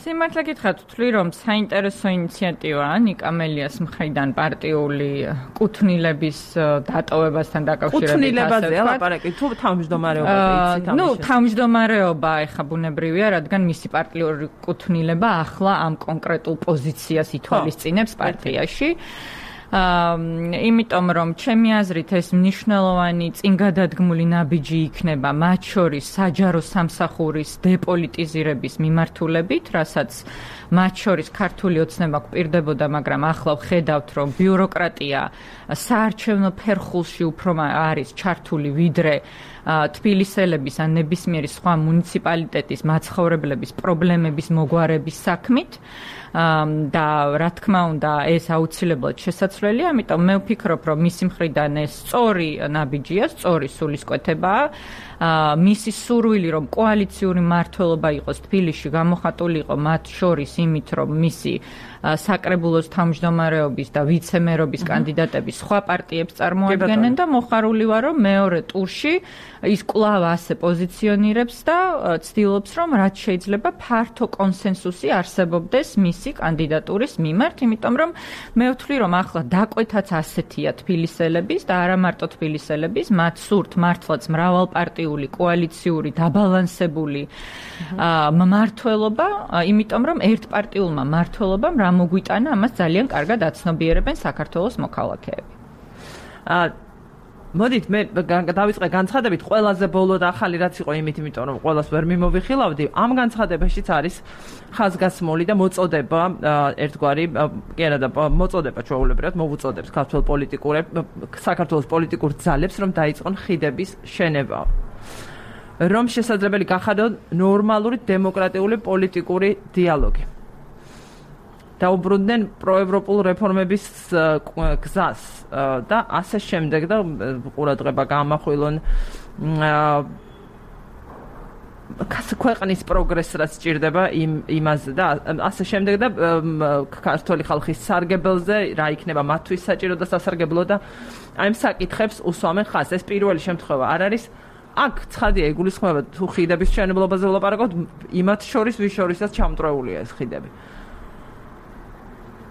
სიმართლე გითხრათ, ვთვლი რომ საინტერესო ინიციატივაა ნიკა მელიას მხრიდან პარტიული კუთვნილების დატოვებასთან დაკავშირებით. კუთვნილებაზე ლაპარაკი თუ თავმჯდომარეობაზე იცით ამის. ნუ თავმჯდომარეობა ეხა ბუნებრივია, რადგან მისი პარტიული კუთვნილება ახლა ამ კონკრეტულ პოზიციას ითვალისწინებს პარტიაში. იმიტომ რომ ჩემი აზრით ეს მნიშვნელოვანი წინგადადგმული ნაბიჯი იქნება მათ შორის საჯარო სამსახურის დეპოლიტიზირების მიმართულებით, რასაც მათ შორის ქართული ოცნება გვპირდებოდა, მაგრამ ახლა ვხედავთ, რომ ბიუროკრატია საარჩევნო ფერხულში უფრო არის ჩართული ვიდრე თბილისელების ან ნებისმიერი სხვა მუნიციპალიტეტის მაცხოვრებლების პრობლემების მოგვარების საქმით. და რა თქმა უნდა ეს აუცილებლად შესაძლებელია, ამიტომ მე ვფიქრობ, რომ მისი მხრიდან ეს სწორი ნაბიჯია, სწორი სულისკვეთებაა. მისი სურვილი, რომ კოალიციური მმართველობა იყოს თბილისში, გამოხატული იყო მათ შორის იმით, რომ მისი საკრებულოს თავმჯდომარეობის და ვიცე-მერობის კანდიდატები სხვა პარტიებს წარმოადგენენ და მოხარული ვარ, რომ მეორე ტურში ის კვლავ ასე პოზიციონირებს და ცდილობს, რომ რაც შეიძლება ფართო კონსენსუსი არსებობდეს მისი კანდიდატურის მიმართ, იმიტომ რომ მე ვთვლი, რომ ახლა დაკვეთაც ასეთია თბილისელების და არა მარტო თბილისელების, მათ სურთ მართლაც მრავალპარტიული კოალიციური დაბალანსებული მმართველობა, იმიტომ რომ ერთპარტიულმა მმართველობამ რა მოგვიტანა, ამას ძალიან კარგად აცნობიერებენ საქართველოს მოქალაქეები. მოდით მე დავიწყე განცხადებით, ყველაზე ბოლო და ახალი რაც იყო იმით, იმიტომ რომ ყველას ვერ მიმოვიხილავდი, ამ განცხადებაშიც არის ხაზგასმული და მოწოდება ერთგვარი, კი არა და მოწოდება ჩვეულებრივად მოვუწოდებს ქართულ პოლიტიკურებს, საქართველოს პოლიტიკურ ძალებს, რომ დაიწყონ ხიდების შენება. რომ შესაძლებელი გახადონ ნორმალური დემოკრატიული პოლიტიკური დიალოგი. დაუბრუნდნენ პროევროპულ რეფორმების გზას და ასე შემდეგ და ყურადღება გაამახვილონ ქვეყნის პროგრესს რაც სჭირდება იმ იმაზე და ასე შემდეგ და ქართული ხალხის სარგებელზე რა იქნება მათთვის საჭირო და სასარგებლო და აი ამ საკითხებს უსვამენ ხაზს. ეს პირველი შემთხვევა არ არის. აქ ცხადია იგულისხმება თუ ხიდების მშენებლობაზე ვლაპარაკობთ, იმათ შორის ვის შორისაც ჩამწრეულია ეს ხიდები.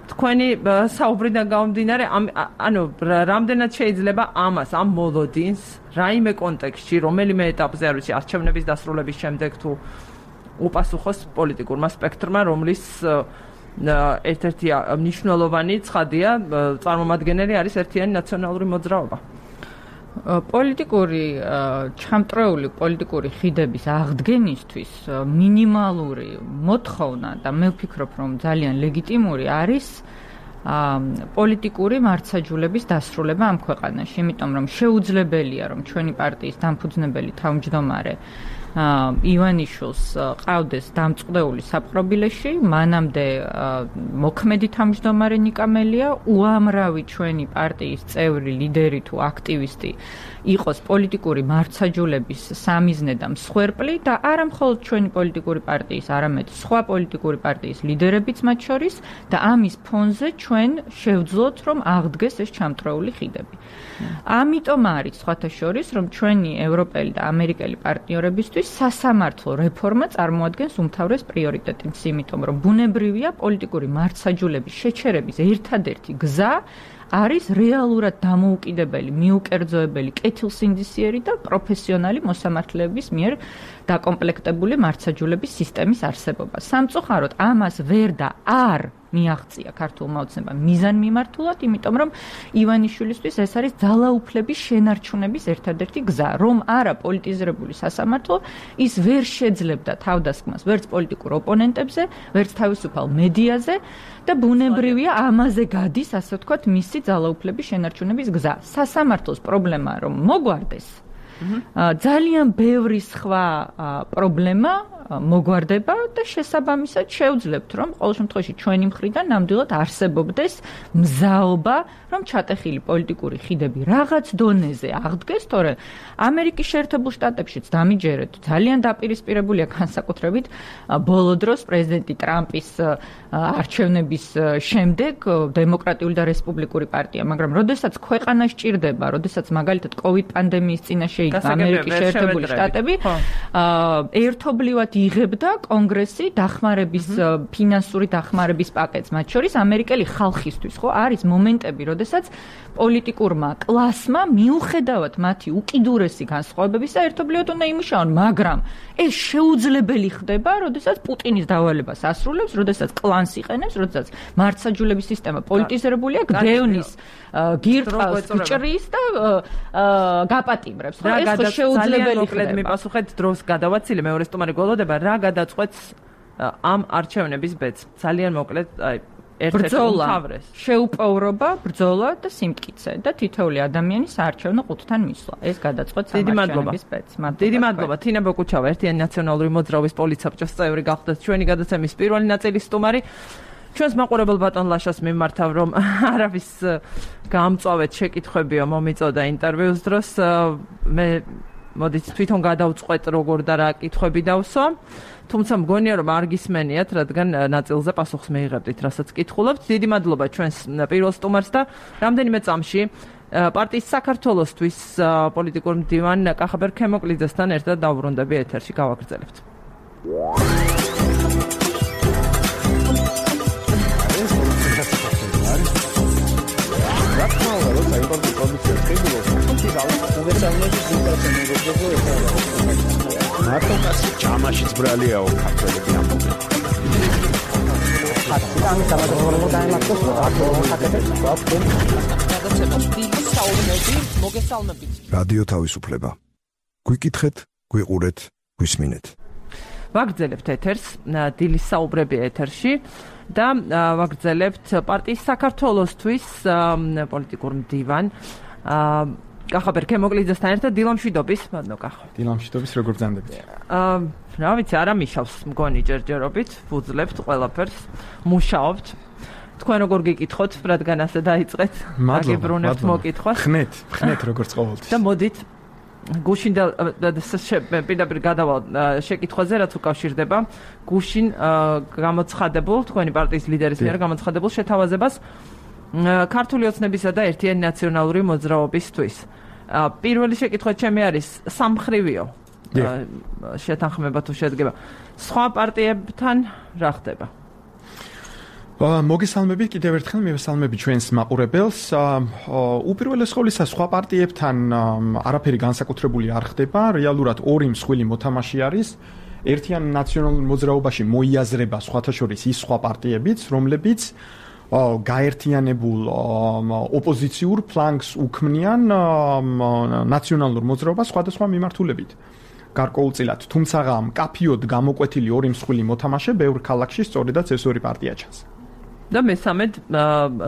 თქვენი საუბრიდან გამომდინარე, ანუ რამდენად შეიძლება ამას, ამ მოლოდინს, რაიმე კონტექსტში, რომელიმე ეტაპზე, არ ვიცი, არჩევნების დასრულების შემდეგ თუ უპასუხოს პოლიტიკურმა სპექტრმა, რომლის ერთ-ერთი მნიშვნელოვანი ცხადია, წარმომადგენელი არის ერთიანი ნაციონალური მოძრაობა. პოლიტიკური ჩამწრეული პოლიტიკური ხიდების აღდგენისთვის მინიმალური მოთხოვნა და მე ვფიქრობ, რომ ძალიან ლეგიტიმური არის პოლიტიკური მართსაჯულების დასრულება ამ ქვეყანაში, იმიტომ რომ შეუძლებელია, რომ ჩვენი პარტიის დამფუძნებელი თავმჯდომარე ივანიშვილს ყავდეს დამწყდეული საპყრობილეში, მანამდე მოქმედი თავმჯდომარე ნიკა მელია, უამრავი ჩვენი პარტიის წევრი, ლიდერი თუ აქტივისტი იყოს პოლიტიკური მართსაჯულების სამიზნე და მსხვერპლი და არა მხოლოდ ჩვენი პოლიტიკური პარტიის, არამედ სხვა პოლიტიკური პარტიის ლიდერებიც მათ შორის და ამის ფონზე ჩვენ შევძლოთ, რომ აღდგეს ეს ჩამწრეული ხიდები. ამიტომ არის სხვათა შორის, რომ ჩვენი ევროპელი და ამერიკელი პარტნიორებისთვის სასამართლო რეფორმა წარმოადგენს უმთავრეს პრიორიტეტს, იმიტომ რომ ბუნებრივია პოლიტიკური მართსაჯულების შეჩერების ერთადერთი გზა არის რეალურად დამოუკიდებელი, მიუკერძოებელი, კეთილსინდისიერი და პროფესიონალი მოსამართლეების მიერ დაკომპლექტებული მართსაჯულების სისტემის არსებობა. სამწუხაროდ ამას ვერ და არ მიაღწია ქართულმა ოცნებამ მიზანმიმართულად, იმიტომ რომ ივანიშვილისთვის ეს არის ძალაუფლების შენარჩუნების ერთადერთი გზა, რომ არა პოლიტიზირებული სასამართლო, ის ვერ შეძლებდა თავდასხმას ვერც პოლიტიკურ ოპონენტებზე, ვერც თავისუფალ მედიაზე და ბუნებრივია ამაზე გადის, ასე ვთქვათ, მისი ძალაუფლების შენარჩუნების გზა. სასამართლოს პრობლემაა, რომ მოგვარდეს ძალიან ბევრი სხვა პრობლემა მოგვარდება და შესაბამისად შევძლებთ, რომ ყოველ შემთხვევაში ჩვენი მხრიდან ნამდვილად არსებობდეს მზაობა, რომ ჩატეხილი პოლიტიკური ხიდები რაღაც დონეზე აღდგეს, თორე ამერიკის შეერთებულ შტატებშიც დამიჯერეთ, ძალიან დაპირისპირებულია განსაკუთრებით ბოლო დროს პრეზიდენტი ტრამპის არჩევნების შემდეგ დემოკრატიული და რესპუბლიკური პარტია, მაგრამ როდესაც ქვეყანა სჭირდება, როდესაც მაგალითად კოვიდ პანდემიის წინაშე ამერიკის შეერთებული შტატები ერთობლივად იღებდა კონგრესი დახმარების ფინანსური დახმარების პაკეტს, მათ შორის ამერიკელი ხალხისთვის, ხო, არის მომენტები, როდესაც პოლიტიკურმა კლასმა მიუხედავად მათი უკიდურესი განსხვავებებისა ერთობლივად უნდა იმუშაონ, მაგრამ ეს შეუძლებელი ხდება, როდესაც პუტინის დავალებას ასრულებს, როდესაც კლანს იყენებს, როდესაც მართლმსაჯულების სისტემა პოლიტიზირებულია, გდევნის გირტყავს, გჭრის და გაპატიმრებს. რა გადაწყვეტს შეუძლებელი ხდება. მიპასუხეთ დროს გადავაცილე მეორე სტუმარი გველოდება, რა გადაწყვეტს ამ არჩევნების ბედს. ძალიან მოკლედ, აი ბრძოლა, შეუპოვრობა, ბრძოლა და სიმტკიცე და თითოეული ადამიანის საარჩევნო ყუთთან მისვლა. ეს გადაწყვეტს ამ არჩევნების ბედს. დიდი მადლობა. თინა ბოკუჩავა, ერთიანი ნაციონალური მოძრაობის პოლიცაბჭოს წევრი გახდათ ჩვენი გადაცემის პირველი ნაწილის სტუმარი. ჩვენს მაყურებელ ბატონ ლაშას მიმართავ, რომ არავის გამწვავეთ შეკითხვებიო მომიწოდა ინტერვიუს დროს. მე მოდით თვითონ გადავწყვეტ როგორ და რა კითხვები დავსვა. თუმცა მგონია რომ არ გისმენიათ, რადგან ნაწილზე პასუხს მიიღებდით, რასაც კითხულობთ. დიდი მადლობა ჩვენს პირველ სტუმარს და რამდენიმე წამში პარტიის საქართველოსთვის პოლიტიკურ მდივან კახაბერ ქემოკლიძესთან ერთად დავბრუნდები ეთერში, გავაგრძელებთ. მარტოკასი ჯამაშიც ბრალიაო ქართველები ამბობენ. რადიო თავისუფლება. გვიკითხეთ, გვიყურეთ, გვისმინეთ. ვაგრძელებთ ეთერს, დილის საუბრები ეთერში და ვაგრძელებთ პარტიის საქართველოსთვის პოლიტიკურ მდივან კახაბერ ქემოკლიძესთან ერთად დილამშვიდობის, მადლობა კახო. დილამშვიდობის, როგორ ბრძანდებით? აა, რა ვიცი, არა მიშავს მგონი ჯერჯერობით, ვუძლებთ ყველაფერს, მუშაობთ. თქვენ როგორ გიკითხოთ, რადგან ასე დაიწყეთ? მადლობა, მოკითხვას. ხნეთ, ხნეთ როგორც ყოველთვის. და მოდით გუშინ და პირდაპირ გადავალ შეკითხვაზე, რაც უკავშირდება გუშინ გამოცხადებულ თქვენი პარტიის ლიდერის მიერ გამოცხადებულ შეთავაზებას ქართული ოცნებისა და ერთიანი ნაციონალური მოძრაობისთვის. პირველი შეკითხვა ჩემი არის სამმხრივიო შეთანხმება თუ შედგება. სხვა პარტიებთან რა ხდება? მოგესალმებით კიდევ ერთხელ, მივესალმები ჩვენს მაყურებელს. უპირველეს ყოვლისა, სხვა პარტიებთან არაფერი განსაკუთრებული არ ხდება. რეალურად ორი მსხვილი მოთამაშე არის. ერთიან ნაციონალურ მოძრაობაში მოიაზრება სხვათა შორის ის სხვა პარტიებიც, რომლებიც გაერთიანებულ ოპოზიციურ ფლანგს უქმნიან ნაციონალურ მოძრაობას სხვადასხვა მიმართულებით. გარკვეულწილად, თუმცა მკაფიოდ გამოკვეთილი ორი მსხვილი მოთამაშე ბევრ ქალაქში სწორედაც ეს ორი პარტია ჩანს. და მესამედ,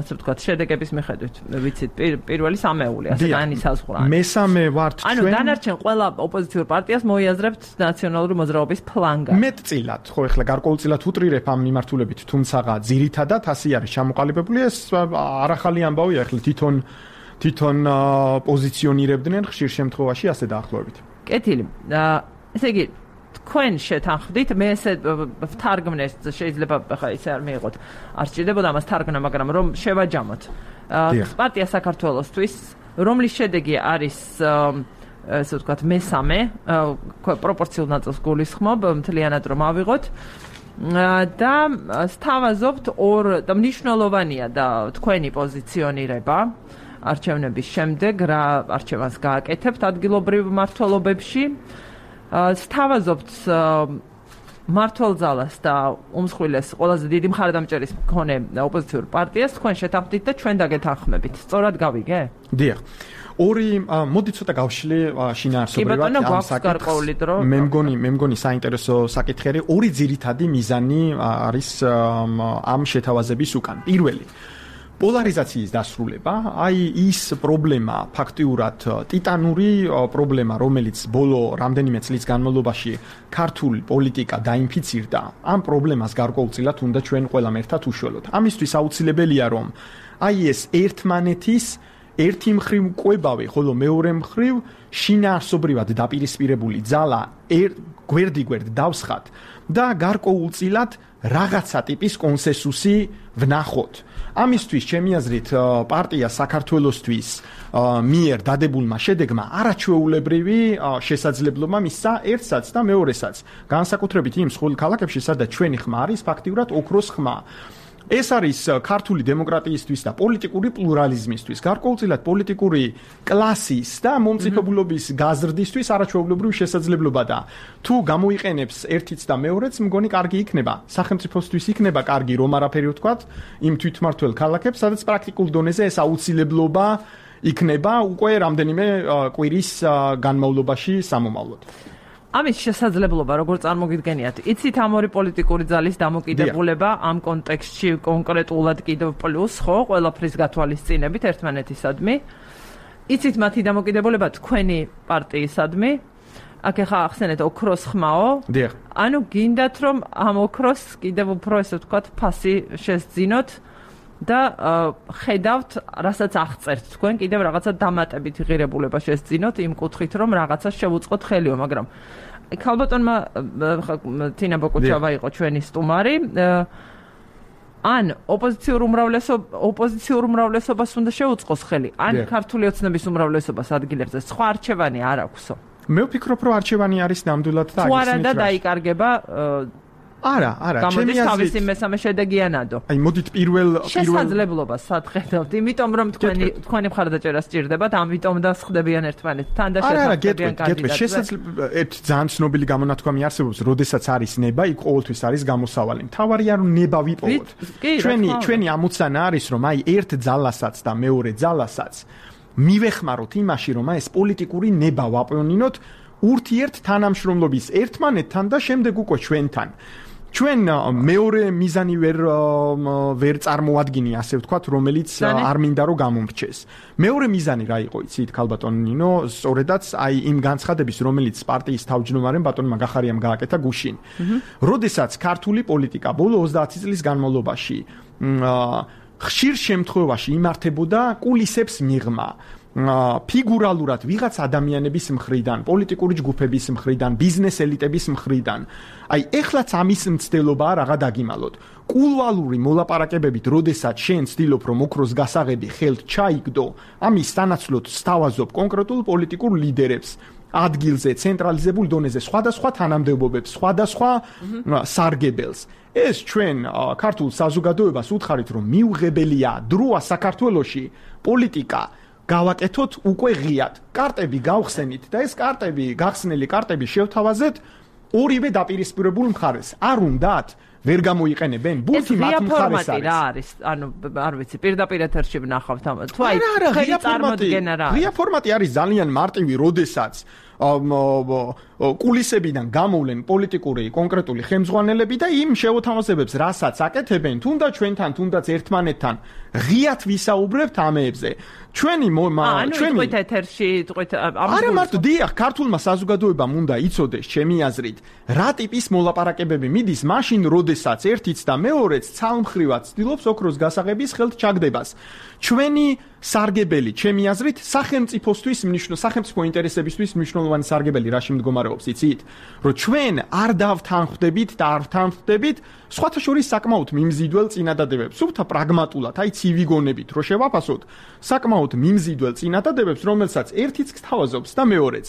ასე ვთქვათ, შედეგების მიხედვით, ვიცით, პირველი სამეული, ასე განისაზღვრა. მესამე ვართ ჩვენ. ანუ დანარჩენ ყველა ოპოზიციურ პარტიას მოიაზრებთ ნაციონალური მოძრაობის ფლანგა. მეტწილად, ხო, ეხლა გარკვეულწილად უტრირებ ამ მიმართულებით, თუმცა ძირითადად ასე არის ჩამოყალიბებული, ეს არახალი ამბავია, ეხლა თვითონ თვითონ პოზიციონირებდნენ ხშირ შემთხვევაში ასე დაახლოებით. კეთილი. ესე იგი თქვენ შეთანხმდით, მე ესე ვთარგმნეს, შეიძლება ხა ისე არ მიიღოთ. არ სჭირდებოდა ამას თარგმნა, მაგრამ რომ შევაჯამოთ. პარტია საქართველოსთვის, რომლის შედეგი არის ესე ვთქვათ, მესამე, პროპორციულ ნაწილს გულისხმობ, მთლიანად რომ ავიღოთ. და სთავაზობთ ორ და მნიშვნელოვანია და თქვენი პოზიციონირება არჩევნების შემდეგ, რა არჩევანს გააკეთებთ ადგილობრივ მმართველობებში. სთავაზობთ მმართველ-ძალას და უმსხვილეს ყველაზე დიდი მხარდამჭერის მქონე ოპოზიციურ პარტიას, თქვენ შეთანხმდით და ჩვენ დაგეთანხმებით. სწორად გავიგე? დიახ. ორი მოდი ცოტა გავშლი შინაარსობრივად ამ საკითხს. მე მგონი, მე მგონი საინტერესო საკითხი არის. ორი ძირითადი მიზანი არის ამ შეთავაზების უკან. პირველი პოლარიზაციის დასრულება, აი ის პრობლემა, ფაქტიურად ტიტანური პრობლემა, რომელიც ბოლო რამდენიმე წლის განმავლობაში ქართულ პოლიტიკა დაინფიცირდა, ამ პრობლემას გარკვეულწილად უნდა ჩვენ ყველამ ერთად უშველოთ. ამისთვის აუცილებელია, რომ აი ეს ერთმანეთის ერთი მხრივ კვებავი, ხოლო მეორე მხრივ შინაარსობრივად დაპირისპირებული ძალა გვერდიგვერდ დავსხათ და გარკვეულწილად რაღაცა ტიპის კონსენსუსი ვნახოთ. ამისთვის ჩემი აზრით პარტია საქართველოსთვის მიერ დადებულმა შედეგმა არაჩვეულებრივი შესაძლებლობა მისცა ერთსაც და მეორესაც. განსაკუთრებით იმ მსხვილ ქალაქებში, სადაც ჩვენი ხმა არის ფაქტიურად ოქროს ხმა. ეს არის ქართული დემოკრატიისთვის და პოლიტიკური პლურალიზმისთვის, გარკვეულწილად პოლიტიკური კლასის და მომწიფებულობის გაზრდისთვის არაჩვეულებრივი შესაძლებლობა და თუ გამოიყენებს ერთიც და მეორეც, მგონი კარგი იქნება. სახელმწიფოსთვის იქნება კარგი, რომ არაფერი ვთქვათ, იმ თვითმმართველ ქალაქებს, სადაც პრაქტიკულ დონეზე ეს აუცილებლობა იქნება უკვე რამდენიმე კვირის განმავლობაში სამომავლოდ. ამის შესაძლებლობა როგორ წარმოგიდგენიათ? იცით ამ ორი პოლიტიკური ძალის დამოკიდებულება ამ კონტექსტში კონკრეტულად კიდევ პლუს ხო, ყველაფრის გათვალისწინებით ერთმანეთისადმი. იცით მათი დამოკიდებულება თქვენი პარტიისადმი. აქ ახლა ახსენეთ ოქროს ხმაო. დიახ. ანუ გინდათ რომ ამ ოქროს კიდევ უფრო ესე ვთქვათ ფასი შესძინოთ და ხედავთ, რასაც აღწერთ თქვენ კიდევ რაღაცა დამატებით ღირებულება შესძინოთ იმ კუთხით რომ რაღაცა შევუწყოთ ხელიო, მაგრამ ქალბატონმა თინა ბოკუჩავა იყო ჩვენი სტუმარი. ან ოპოზიციურ უმრავლესობას ოპოზიციურ უმრავლესობას უნდა შეუწყოს ხელი, ან ქართული ოცნების უმრავლესობას ადგილებზე სხვა არჩევანი არ აქვსო. მე ვფიქრობ, რომ არჩევანი არის ნამდვილად და თუ არა და დაიკარგება არა, არა, ჩემი აზრით თავისი მესამე შედეგიანადო. აი, მოდით პირველ პირველ შესაძლებლობას სათხედავთ, იმიტომ რომ თქვენი თქვენი მხარდაჭერა სჭირდებათ, ამიტომ და სხდებიან ერთმანეთთან და შესაძლებიან კანდიდატზე. შესაძლებლობა ერთ ძალიან ცნობილი გამონათქვამი არსებობს, როდესაც არის ნება, იქ ყოველთვის არის გამოსავალი. მთავარია რომ ნება ვიპოვოთ. ჩვენი ჩვენი ამოცანა არის რომ აი ერთ ძალასაც და მეორე ძალასაც მივეხმაროთ იმაში, რომ აი ეს პოლიტიკური ნება ვაპონინოთ ურთიერთ თანამშრომლობის ერთმანეთთან და შემდეგ უკვე ჩვენთან. ჩვენ მეორე მიზანი ვერ ვერ წარმოადგინი, ასე ვთქვათ, რომელიც არ მინდა რომ გამომრჩეს. მეორე მიზანი რა იყო, იცით, ქალბატონ ნინო, სწორედაც აი იმ განცხადების, რომელიც პარტიის თავმჯდომარემ ბატონმა გახარიამ გააკეთა გუშინ. როდესაც ქართული პოლიტიკა ბოლო ოცდაათი წლის განმავლობაში ხშირ შემთხვევაში იმართებოდა კულისებს მიღმა. ფიგურალურად ვიღაც ადამიანების მხრიდან, პოლიტიკური ჯგუფების მხრიდან, ბიზნეს ელიტების მხრიდან. აი, ეხლაც ამის მცდელობაა რაღა დაგიმალოთ. კულუარული მოლაპარაკებებით, როდესაც შენ ცდილობ, რომ ოქროს გასაღები ხელთ ჩაიგდო, ამის სანაცვლოდ სთავაზობ კონკრეტულ პოლიტიკურ ლიდერებს. ადგილზე, ცენტრალიზებულ დონეზე, სხვადასხვა თანამდებობებს, სხვადასხვა სარგებელს. ეს ჩვენ ქართულ საზოგადოებას უთხარით, რომ მიუღებელია დროა საქართველოში პოლიტიკა გავაკეთოთ უკვე ღიად. კარტები გავხსენით და ეს კარტები, გახსნილი კარტები შევთავაზეთ ორივე დაპირისპირებულ მხარეს. არ უნდათ ვერ გამოიყენებენ ბურთი მათ მხარეს არის. რა არის? ანუ არ ვიცი, პირდაპირ ეთერში ვნახავთ ამ. თუ აი, ღია წარმოდგენა რა. ღია ფორმატი არის ძალიან მარტივი, როდესაც კულისებიდან გამოვლენ პოლიტიკური კონკრეტული ხელმძღვანელები და იმ შეუთავაზებებს, რასაც აკეთებენ, თუნდაც ჩვენთან, თუნდაც ერთმანეთთან, ღიად ვისაუბრებთ ამებზე. ჩვენი ჩვენი ეთერში თყვით ამ არა მარტო დიახ, ქართულმა საზოგადოებამ უნდა იცოდეს, ჩემი აზრით, რა ტიპის მოლაპარაკებები მიდის მაშინ, როდესაც ერთიც და მეორეც ცალმხრივად ცდილობს ოქროს გასაღების ხელთ ჩაგდებას. ჩვენი სარგებელი, ჩემი აზრით, სახელმწიფოსთვის მნიშვნელოვანი, სახელმწიფო ინტერესებისთვის მნიშვნელოვანი სარგებელი რაში მდგომარეობს, იცით? რომ ჩვენ არ დავთანხმდებით და არ ვთანხმდებით სხვათა შორის საკმაოდ მიმზიდველ წინადადებებს, სულთა პრაგმატულად, აი ცივი გონებით, რომ შევაფასოთ, საკმაოდ მიმზიდველ წინადადებებს, რომელსაც ერთიც გთავაზობს და მეორეც.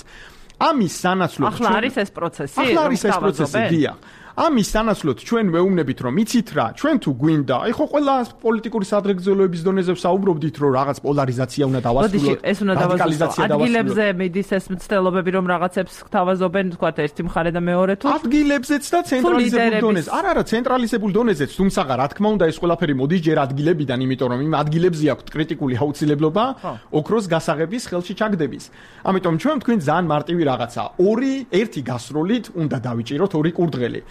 ამის სანაცვლოდ ახლა არის ეს პროცესი, ახლა არის ეს პროცესი, დიახ. ამის სანაცვლოდ ჩვენ ვეუბნებით, რომ იცით რა, ჩვენ თუ გვინდა, აი ხო ყველა პოლიტიკური სადღეგრძელოების დონეზე ვსაუბრობდით, რომ რაღაც პოლარიზაცია უნდა დავასრულოთ, ეს უნდა დავასრულოთ. ადგილებზე მიდის ეს მცდელობები, რომ რაღაცებს გთავაზობენ, თქვა ერთი მხარე და მეორე თუ ადგილებზეც და ცენტრალიზებულ დონეზე. არა, არა, ცენტრალიზებულ დონეზეც, თუმცა რა თქმა უნდა, ეს ყველაფერი მოდის ჯერ ადგილებიდან, იმიტომ რომ იმ ადგილებზე აქვთ კრიტიკული აუცილებლობა ოქროს გასაღების ხელში ჩაგდების. ამიტომ ჩვენ თქვენ ძალიან მარტივი რაღაცა, ორი, ერთი გასროლით უნდა დავიჭიროთ ორი კურდღელი.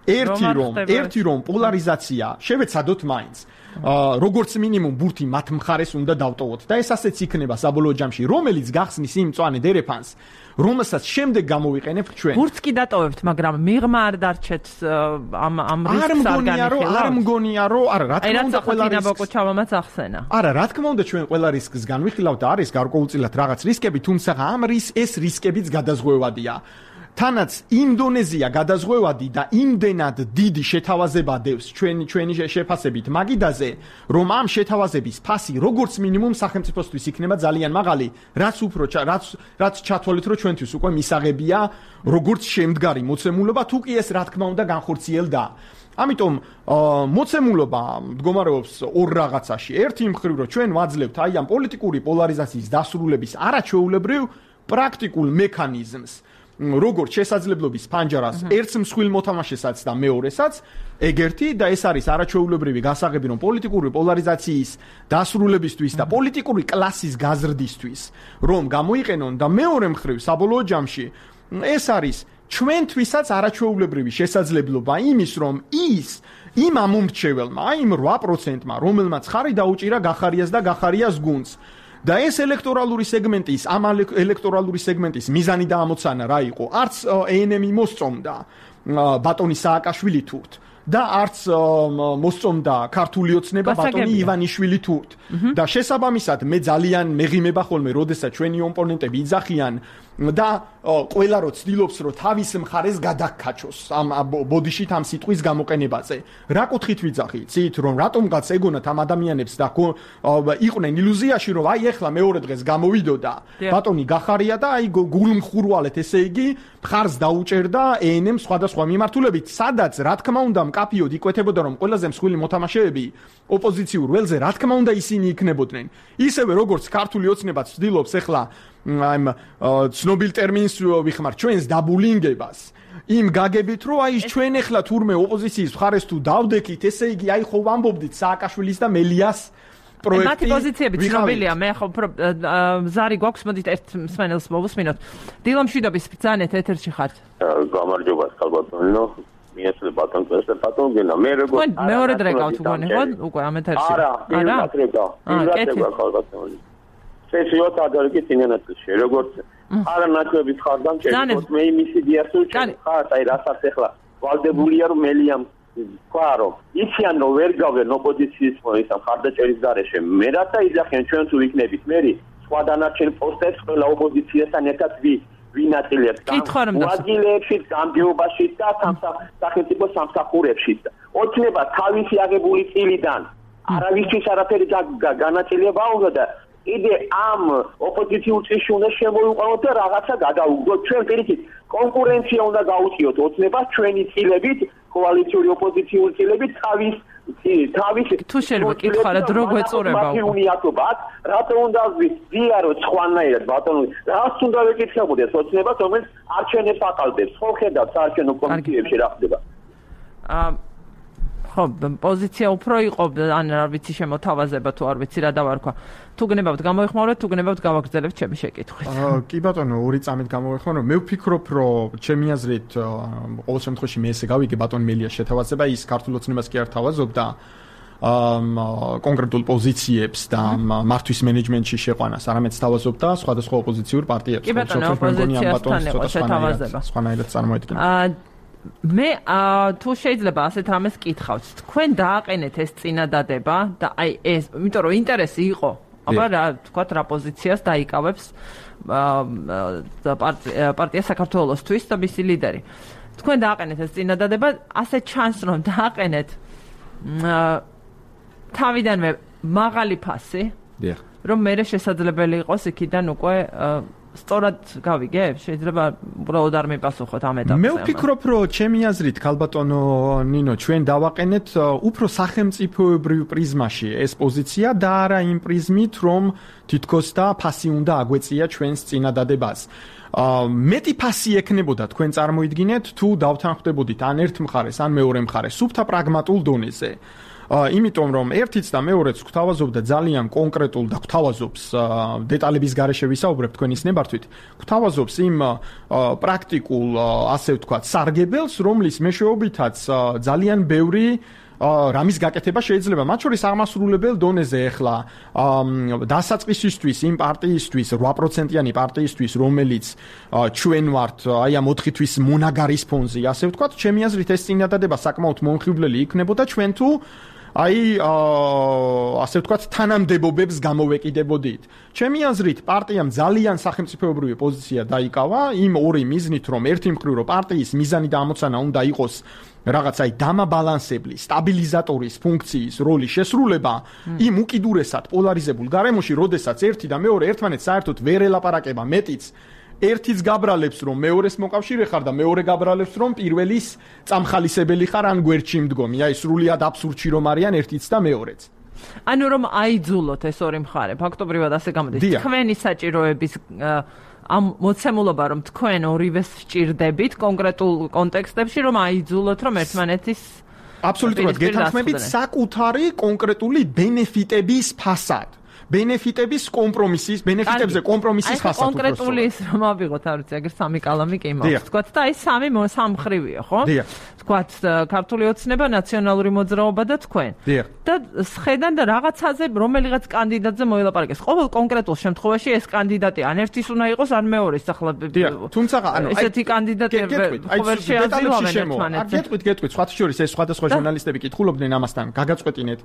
ერთი რომ ერთი რომ პოლარიზაცია შევეცადოთ მაინც როგორც მინიმუმ ბურთი მათ მხარეს უნდა დავტოვოთ და ეს ასეც იქნება საბოლოო ჯამში რომელიც გახსნის იმ მწვანე დერეფანს რომელსაც შემდეგ გამოვიყენებთ ჩვენ ბურთს კი დატოვებთ მაგრამ მიღმა არ დარჩეთ ამ ამ რისკს არ განიხილავთ არ მგონია რომ არა რა თქმა უნდა ყველა რისკს ახსენა არა რა თქმა უნდა ჩვენ ყველა რისკს განვიხილავთ და არის გარკვეულწილად რაღაც რისკები თუმცა ამ რის ეს რისკებიც გადაზღვევადია თანაც იმ დონეზეა გადაზღვევადი და იმდენად დიდი შეთავაზება დევს ჩვენი ჩვენი შეფასებით მაგიდაზე რომ ამ შეთავაზების ფასი როგორც მინიმუმ სახელმწიფოსთვის იქნება ძალიან მაღალი რაც უფრო რაც რაც ჩათვალეთ რომ ჩვენთვის უკვე მისაღებია როგორც შემდგარი მოცემულობა თუ კი ეს რა თქმა უნდა განხორციელდა ამიტომ მოცემულობა მდგომარეობს ორ რაღაცაში ერთი მხრივ რომ ჩვენ ვაძლევთ აი ამ პოლიტიკური პოლარიზაციის დასრულების არაჩვეულებრივ პრაქტიკულ მექანიზმს როგორც შესაძლებლობის ფანჯარას ერთს მსხვილ მოთამაშესაც და მეორესაც ეგერთი და ეს არის არაჩვეულებრივი გასაღები რომ პოლიტიკური პოლარიზაციის დასრულებისთვის და პოლიტიკური კლასის გაზრდისთვის რომ გამოიყენონ და მეორე მხრივ საბოლოო ჯამში ეს არის ჩვენთვისაც არაჩვეულებრივი შესაძლებლობა იმის რომ ის იმ ამომრჩეველმა იმ რვა პროცენტმა რომელმაც ხარი დაუჭირა გახარიას და გახარიას გუნდს და ეს ელექტორალური სეგმენტის ამ ელექტორალური სეგმენტის მიზანი და ამოცანა რა იყო? არც ე-ენ-ემი მოსწონდა ბატონი სააკაშვილი თურთ და არც მოსწონდა ქართული ოცნება ბატონი ივანიშვილი თურთ და შესაბამისად მე ძალიან მეღიმება ხოლმე როდესაც ჩვენი ოპონენტები იძახიან და ყველა რო ცდილობს რომ თავის მხარეს გადაგკაჩოს ამ ბოდიშით ამ სიტყვის გამოყენებაზე რა კუთხით ვიძახით ცით რომ რატომღაც ეგონათ ამ ადამიანებს და იყვნენ ილუზიაში რომ აი ეხლა მეორე დღეს გამოვიდოდა ბატონი გახარია და აი გულმხურვალეთ ესე იგი მხარს დაუჭერდა ე-ენ-ემ სხვადასხვა მიმართულებით სადაც რა თქმა უნდა მკაფიოდ იკვეთებოდა რომ ყველაზე მსხვილი მოთამაშეები ოპოზიციურ ველზე რა თქმა უნდა ისინი იქნებოდნენ ისევე როგორც ქართული ოცნება ცდილობს ეხლა I'm ცნობილ ტერმინს ვიხმარ ჩვენს დაბულინგებას იმ გაგებით რომ აი ჩვენ ახლა თურმე ოპოზიციის მხარეს თუ დავდექით ესე იგი აი ხო ვამბობდით სააკაშვილის და მელიას პროექტი მათი პოზიციები ცნობილია მე ხო ზარი გვაქვს მოდით ერთ მსმენელს მოვუსმინოთ დილა მშვიდობის ბრძანეთ ეთერში ხართ გამარჯობა ხალბატონო მიესწრე ბატონ წესზე ბატონ გენა მე როგორ მეორე დღე გავთ უგონი ხო უკვე ამ ეთერში არა არა არა ხალბატონო სესიოთ ადარგით ინენატში როგორც არა ნაკლების ხარდან ჩემს მე იმის იდეას უჩვენ ხარ აი რასაც ახლა ვალდებულია რომ მელიამ თქვა რომ იციან რომ ვერ გავენ ოპოზიციის მოისამ ხარდაჭერის გარეშე მე რათა იძახიან ჩვენ თუ ვიქნებით მერი სხვა დანარჩენ პოსტებს ყველა ოპოზიციასთან ერთად ვი ვინაწილებს ვაგილებში გამგეობაში და სახელმწიფო სამსახურებში ოცნება თავისი აღებული წილიდან არავისთვის არაფერი განაწილება უნდა და იდე ამ ოპოზიციურ წრეში უნდა შემოიყვანოთ და რაღაცა გადაუგდოთ ჩვენ პირიქით კონკურენცია უნდა გაუწიოთ ოცნებას ჩვენი წილებით კოალიციური ოპოზიციური წილებით თავის თავის თუ შეიძლება კითხვა რა დრო გვეწურება უნიატობად რატო უნდა ვიარო სხვანაირად ბატონო რას უნდა ვეკითხებოდეს ოცნებას რომელიც არჩევნებს აყალბებს ხო ხედავთ საარჩევნო კომისიებში რა ხდება აა ხო პოზიცია უფრო იყო ან არ ვიცი შემოთავაზება თუ არ ვიცი რა დავარქვა თუ გნებავთ გამოიხმაურეთ თუ გნებავთ გავაგრძელებთ ჩემი შეკითხვით კი ბატონო ორი წამით გამოიხმაურე მე ვფიქრობ რომ ჩემი აზრით ყოველ შემთხვევაში მე ესე გავიგე ბატონ მელიას შეთავაზება ის ქართულ ოცნებას კი არ თავაზობდა კონკრეტულ პოზიციებს და მართვის მენეჯმენტში შეყვანას არამედ თავაზობდა სხვადასხვა ოპოზიციურ პარტიებს კი ბატონო ოპოზიციასთან იყო შეთავაზება სხვანაირად წარმოედგინე მე თუ შეიძლება ასეთ რამეს კითხავთ თქვენ დააყენეთ ეს წინადადება და აი ეს იმიტომ რომ ინტერესი იყო აბა რა თქვათ რა პოზიციას დაიკავებს პარტია საქართველოსთვის და მისი ლიდერი თქვენ დააყენეთ ეს წინადადება ასე ჩანს რომ დააყენეთ თავიდანვე მაღალი ფასი რომ მე შესაძლებელი იყოს იქიდან უკვე სწორად გავიგე, შეიძლება უბრალოდ არ მიპასუხოთ ამ ეტაპზე. მე ვფიქრობ, რომ ჩემი აზრით, ქალბატონო ნინო, ჩვენ დავაყენეთ უფრო სახელმწიფოებრივ პრიზმაში ეს პოზიცია და არა იმ პრიზმით, რომ თითქოს და ფასი უნდა აგვეწია ჩვენს წინადადებას. მეტი ფასი ექნებოდა თქვენ წარმოიდგინეთ, თუ დავთანხმდებოდით ან ერთ მხარეს, ან მეორე მხარეს, სუფთა პრაგმატულ დონეზე. იმიტომ რომ ერთიც და მეორეც გვთავაზობდა ძალიან კონკრეტულ და გვთავაზობს დეტალების გარეშე ვისაუბრებ თქვენის ნებართვით, გვთავაზობს იმ პრაქტიკულ, ასე ვთქვათ, სარგებელს, რომლის მეშვეობითაც ძალიან ბევრი რამის გაკეთება შეიძლება, მათ შორის აღმასრულებელ დონეზე ახლა დასაწყისისთვის იმ პარტიისთვის, ორი პროცენტიანი პარტიისთვის, რომელიც ჩვენ ვართ, აი ამ ოთხი თვის მონაგარის ფონზე, ასე ვთქვათ, ჩემი აზრით ეს წინადადება საკმაოდ მომხიბვლელი იქნებოდა ჩვენ თუ აი ასე ვთქვათ, თანამდებობებს გამოვეკიდებოდით. ჩემი აზრით, პარტიამ ძალიან სახელმწიფოებრივი პოზიცია დაიკავა იმ ორი მიზნით, რომ ერთი მხრივ რომ პარტიის მიზანი და ამოცანა უნდა იყოს რაღაც აი დამაბალანსებლი, სტაბილიზატორის ფუნქციის როლის შესრულება იმ უკიდურესად პოლარიზებულ გარემოში, როდესაც ერთი და მეორე ერთმანეთს საერთოდ ვერ ელაპარაკება, მეტიც ერთიც გაბრალებს რომ მეორეს მოკავშირე ხარ და მეორე გაბრალებს რომ პირველის წამხალისებელი ხარ ან გვერდში მდგომი. აი სრულიად აბსურდში რომ არიან ერთიც და მეორეც. ანუ რომ აიძულოთ ეს ორი მხარე, ფაქტობრივად ასე გამოდის. თქვენი საჭიროების ამ მოცემულობა რომ თქვენ ორივეს სჭირდებით კონკრეტულ კონტექსტებში რომ აიძულოთ რომ ერთმანეთის აბსოლუტურად გეთანხმებით საკუთარი კონკრეტული ბენეფიტების ფასად. ბენეფიტების კომპრომისის, ბენეფიტებზე კომპრომისის ფასად. კონკრეტული ის რომ ავიღოთ, არ ვიცი, აგერ სამი კალამი კი მაქვს. თქვათ და აი სამი სამხრივია, ხო? თქვათ ქართული ოცნება, ნაციონალური მოძრაობა და თქვენ. და სხედან და რაღაცაზე რომელიღაც კანდიდატზე მოილაპარაკეს. ყოველ კონკრეტულ შემთხვევაში ეს კანდიდატი ან ერთის უნდა იყოს, ან მეორეს ახლა. თუმცა ანუ ესეთი კანდიდატი ვერ შეაძლევენ ერთმანეთს. გეტყვით, გეტყვით, სხვა შორის ეს სხვადასხვა ჟურნალისტები კითხულობდნენ ამასთან, გაგაწყვეტინეთ,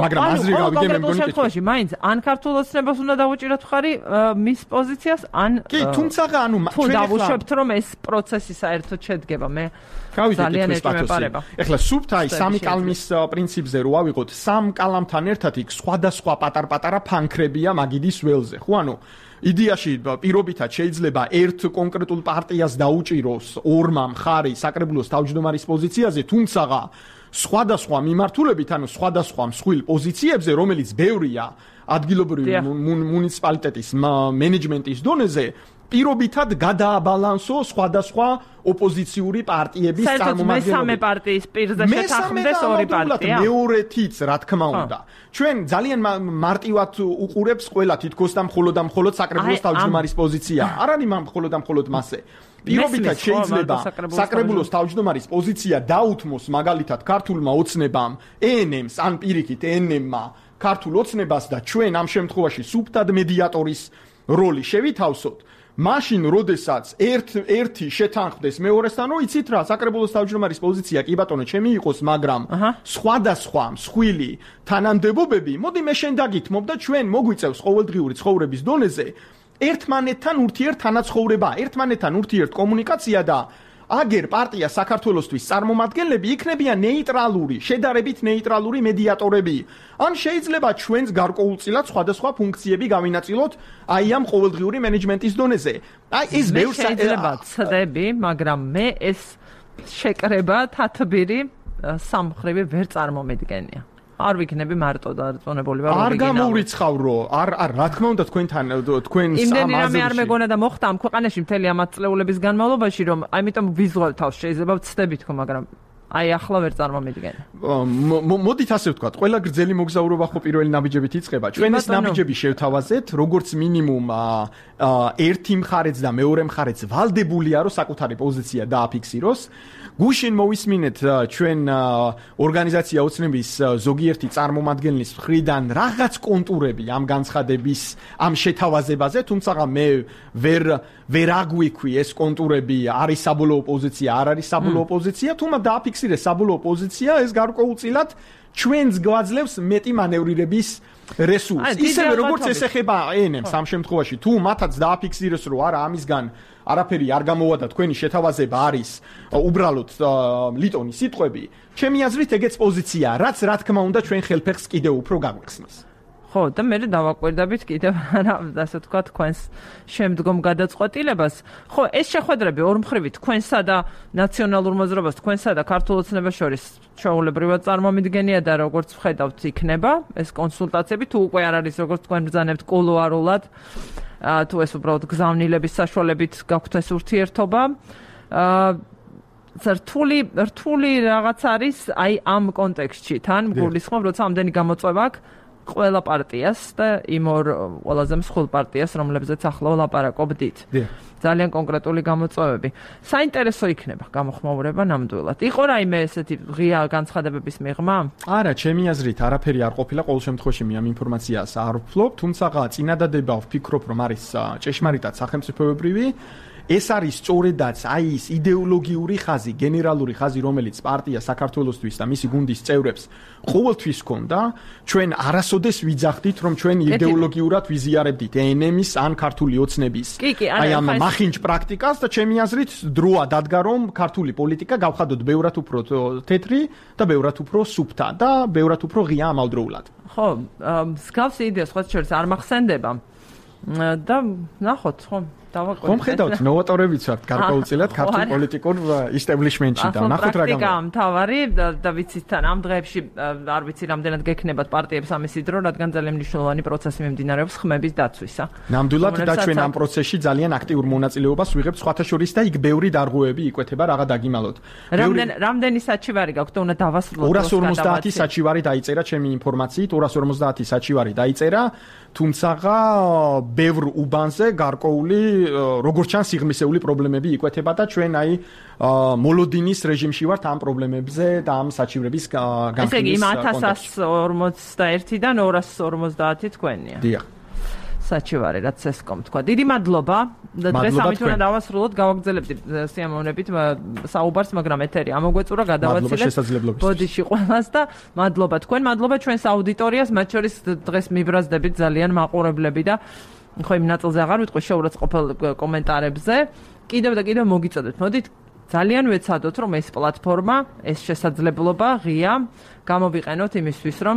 მაგრამ აზრი გავიგე მე მგონი შემთხვევაში მაინც ან ქართულ ოცნებას უნდა დავუჭიროთ ხარი მის პოზიციას ან კი, თუმცა ანუ თუ დავუშვებთ რომ ეს პროცესი საერთოდ შედგება, მე ძალიან ეჭვმეპარება. ეხლა სუფთ აი სამი კალმის პრინციპზე რო ავიღოთ, სამ კალამთან ერთად იქ სხვადასხვა პატარ-პატარა ფანქრებია მაგიდის ველზე, ხო? ანუ იდეაში პირობითად შეიძლება ერთ კონკრეტულ პარტიას დაუჭიროს ორმა მხარი საკრებულოს თავმჯდომარის პოზიციაზე, თუმცა სხვადასხვა მიმართულებით, ანუ სხვადასხვა მსხვილ პოზიციებზე, რომელიც ბევრია ადგილობრივი მუნიციპალიტეტის მენეჯმენტის დონეზე, პირობითად გადააბალანსო სხვადასხვა ოპოზიციური პარტიების წარმომადგენლები. მესამე პარტიის პირზე შეთანხმდეს ორი პარტია. მეორეთიც, რა თქმა უნდა. ჩვენ ძალიან მარტივად უყურებს ყველა თითქოს და მხოლოდ და მხოლოდ საკრებულოს თავმჯდომარის პოზიცია. არ არის მხოლოდ და მხოლოდ მასე. პირობითად შეიძლება საკრებულოს თავმჯდომარის პოზიცია დაუთმოს მაგალითად ქართულმა ოცნებამ, ე ენ ემს ან პირიქით ე ენ ემმა ქართულ ოცნებას და ჩვენ ამ შემთხვევაში სუბტად მედიატორის როლი შევითავსოთ. მაშინ როდესაც ერთ ერთი შეთანხმდეს მეორესთან, რომ იცით რა, საკრებულოს თავმჯდომარის პოზიცია კი ბატონო ჩემი იყოს, მაგრამ სხვადასხვა მსხვილი თანამდებობები, მოდი მე შენ დაგითმობ და ჩვენ მოგვიწევს ყოველდღიური ცხოვრების დონეზე ერთმანეთთან ურთიერთთანაცხოვრება, ერთმანეთთან ურთიერთკომუნიკაცია და აგერ პარტია საქართველოსთვის წარმომადგენლები იქნებიან ნეიტრალური, შედარებით ნეიტრალური მედიატორები. ან შეიძლება ჩვენს გარკვეულწილად სხვადასხვა ფუნქციები გავინაწილოთ აი ამ ყოველდღიური მენეჯმენტის დონეზე. აი ეს ბევრს შეიძლება ცდები, მაგრამ მე ეს შეკრება თათბირი სამხრივი ვერ წარმომედგენია. არ ვიქნები მარტო დარწმუნებული ვარ ორიგინალურად. არ გამოვრიცხავრო, არ არ რა თქმა უნდა თქვენთან თქვენ იმდენი რამე არ მეგონა და მოხდა ამ ქვეყანაში მთელი ამ წლეულების განმავლობაში, რომ ამიტომ ვიზუალ თავს შეიძლება ვცდები თქო, მაგრამ აი ახლა ვერ წარმომედგენ. მოდით ასე ვთქვათ, ყველა გრძელი მოგზაურობა ხო პირველი ნაბიჯებით იწყება. ჩვენ ეს ნაბიჯები შევთავაზეთ, როგორც მინიმუმ ერთი მხარეც და მეორე მხარეც ვალდებულია, რომ საკუთარი პოზიცია დააფიქსიროს. გუშინ მოვისმინეთ ჩვენ ორგანიზაცია ოცნების ზოგიერთი წარმომადგენლის მხრიდან რაღაც კონტურები ამ განცხადების, ამ შეთავაზებაზე, თუმცა მე ვერ ვერ აგვიქვი ეს კონტურები არის საბოლოო პოზიცია, არ არის საბოლოო პოზიცია, თუმცა დააფიქსირეს საბოლოო პოზიცია, ეს გარკვეულწილად ჩვენს გვაძლევს მეტი მანევრირების რესურსს. ისევე როგორც ეს ეხება ე ენ ემს ამ შემთხვევაში, თუ მათაც დააფიქსირეს, რომ არა ამისგან არაფერი არ გამოვა და თქვენი შეთავაზება არის უბრალოდ ლიტონის სიტყვები, ჩემი აზრით ეგეც პოზიციაა, რაც რა თქმა უნდა ჩვენ ხელფეხს კიდევ უფრო გაგვეხსნის. ხო, და მე დავაკვირდებით კიდევ რა, ასე თქვა, თქვენს შემდგომ გადაწყვეტილებას. ხო, ეს შეხვედრები ორმხრივი თქვენსა და ნაციონალურ მოძრაობას, თქვენსა და ქართულ ოცნებას შორის ჩვეულებრივად წარმომიდგენია და როგორც ვხედავთ, იქნება ეს კონსულტაციები, თუ უკვე არ არის როგორც თქვენ ბრძანებთ კულუარულად, თუ ეს უბრალოდ გზავნილების საშუალებით გაქვთ ეს ურთიერთობა. რთული რთული რაღაც არის აი ამ კონტექსტში თან გულისხმობ როცა ამდენი გამოწვევა აქვს ყველა პარტიას და იმ ორ ყველაზე მსხვილ პარტიას რომლებზეც ახლა ვლაპარაკობდით ძალიან კონკრეტული გამოწვევები საინტერესო იქნება გამოხმაურება ნამდვილად იყო რაიმე ესეთი ღია განცხადებების მიღმა არა ჩემი აზრით არაფერი არ ყოფილა ყოველ შემთხვევაში მე ამ ინფორმაციას არ ვფლობ თუმცა წინადადება ვფიქრობ რომ არის ჭეშმარიტად სახელმწიფოებრივი ეს არის სწორედაც აი ის იდეოლოგიური ხაზი, გენერალური ხაზი, რომელიც პარტია საქართველოსთვის და მისი გუნდის წევრებს ყოველთვის ჰქონდა, ჩვენ არასოდეს ვიძახდით, რომ ჩვენ იდეოლოგიურად ვიზიარებდით ენემის ან ქართული ოცნების აი ამ მახინჯ პრაქტიკას და ჩემი აზრით დროა დადგა, რომ ქართული პოლიტიკა გავხადოთ ბევრად უფრო თეთრი და ბევრად უფრო სუფთა და ბევრად უფრო ღია ამავდროულად. ხო, მსგავსი იდეა სხვა შორის არ მახსენდება და ნახოთ, ხო ხომ ხედავთ ნოვატორებიც ვართ გარკვეულწილად ქართულ პოლიტიკურ ისტაბლიშმენტში და ნახოთ რა გამოდის. მთავარი და ვიცით თან ამ დღეებში არ ვიცი რამდენად გექნებათ პარტიებს ამისი დრო, რადგან ძალიან მნიშვნელოვანი პროცესი მიმდინარეობს ხმების დაცვისა. ნამდვილად და ჩვენ ამ პროცესში ძალიან აქტიურ მონაწილეობას ვიღებთ სხვათა შორის და იქ ბევრი დარღვევები იკვეთება რაღა დაგიმალოთ. რამდენ რამდენი საჩივარი გაქვთ და უნდა დავასრულოთ ორას ორმოცდაათი საჩივარი დაიწერა ჩემი ინფორმაციით, ორას ორმოცდაათი საჩივარი დაიწერა, თუმცა ბევრ უბანზე გარკვეული როგორც ჩანს სიღრმისეული პრობლემები იკვეთება და ჩვენ აი მოლოდინის რეჟიმში ვართ ამ პრობლემებზე და ამ საჩივრების განხილვის კონტექსტში. ესე იგი ათას ორმოცდაერთიდან ორას ორმოცდაათი თქვენია. დიახ. საჩივარი რაც ესკომ თქვა. დიდი მადლობა. დღეს ამით უნდა დავასრულოთ, გავაგრძელებთ სიამოვნებით საუბარს, მაგრამ ეთერი ამოგვეწურა, გადავაცილეთ. ბოდიში ყველას და მადლობა თქვენ, მადლობა ჩვენს აუდიტორიას, მათ შორის დღეს მიბრაზდებით ძალიან მაყურებლები და ხო იმ ნაწილზე აღარ ვიტყვი შეურაცხყოფელ კომენტარებზე. კიდევ და კიდევ მოგიწოდეთ. მოდით ძალიან ვეცადოთ, რომ ეს პლატფორმა, ეს შესაძლებლობა ღია გამოვიყენოთ იმისთვის, რომ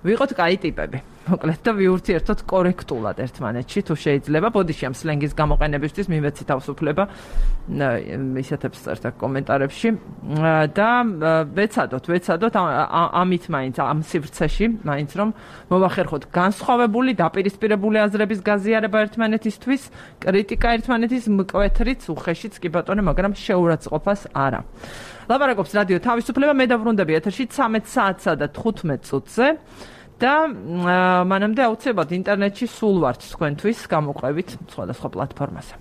ვიყოთ კაი ტიპები. მოკლედ და ვიურთიერთოთ კორექტულად ერთმანეთში, თუ შეიძლება. ბოდიში ამ სლენგის გამოყენებისთვის მივეცი თავისუფლება ისეთებს წერთ კომენტარებში და ვეცადოთ, ვეცადოთ ამით მაინც ამ სივრცეში, მაინც რომ მოვახერხოთ განსხვავებული, დაპირისპირებული აზრების გაზიარება ერთმანეთისთვის, კრიტიკა ერთმანეთის მკვეთრიც, უხეშიც კი ბატონო, მაგრამ შეურაცხყოფას არა. ლაპარაკობს რადიო თავისუფლება, მე დავრუნდები ეთერში ცამეტ საათსა და თხუთმეტ წუთზე. და მანამდე აუცილებლად ინტერნეტში სულ ვართ თქვენთვის გამოყვებით სხვადასხვა პლატფორმაზე.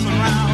Around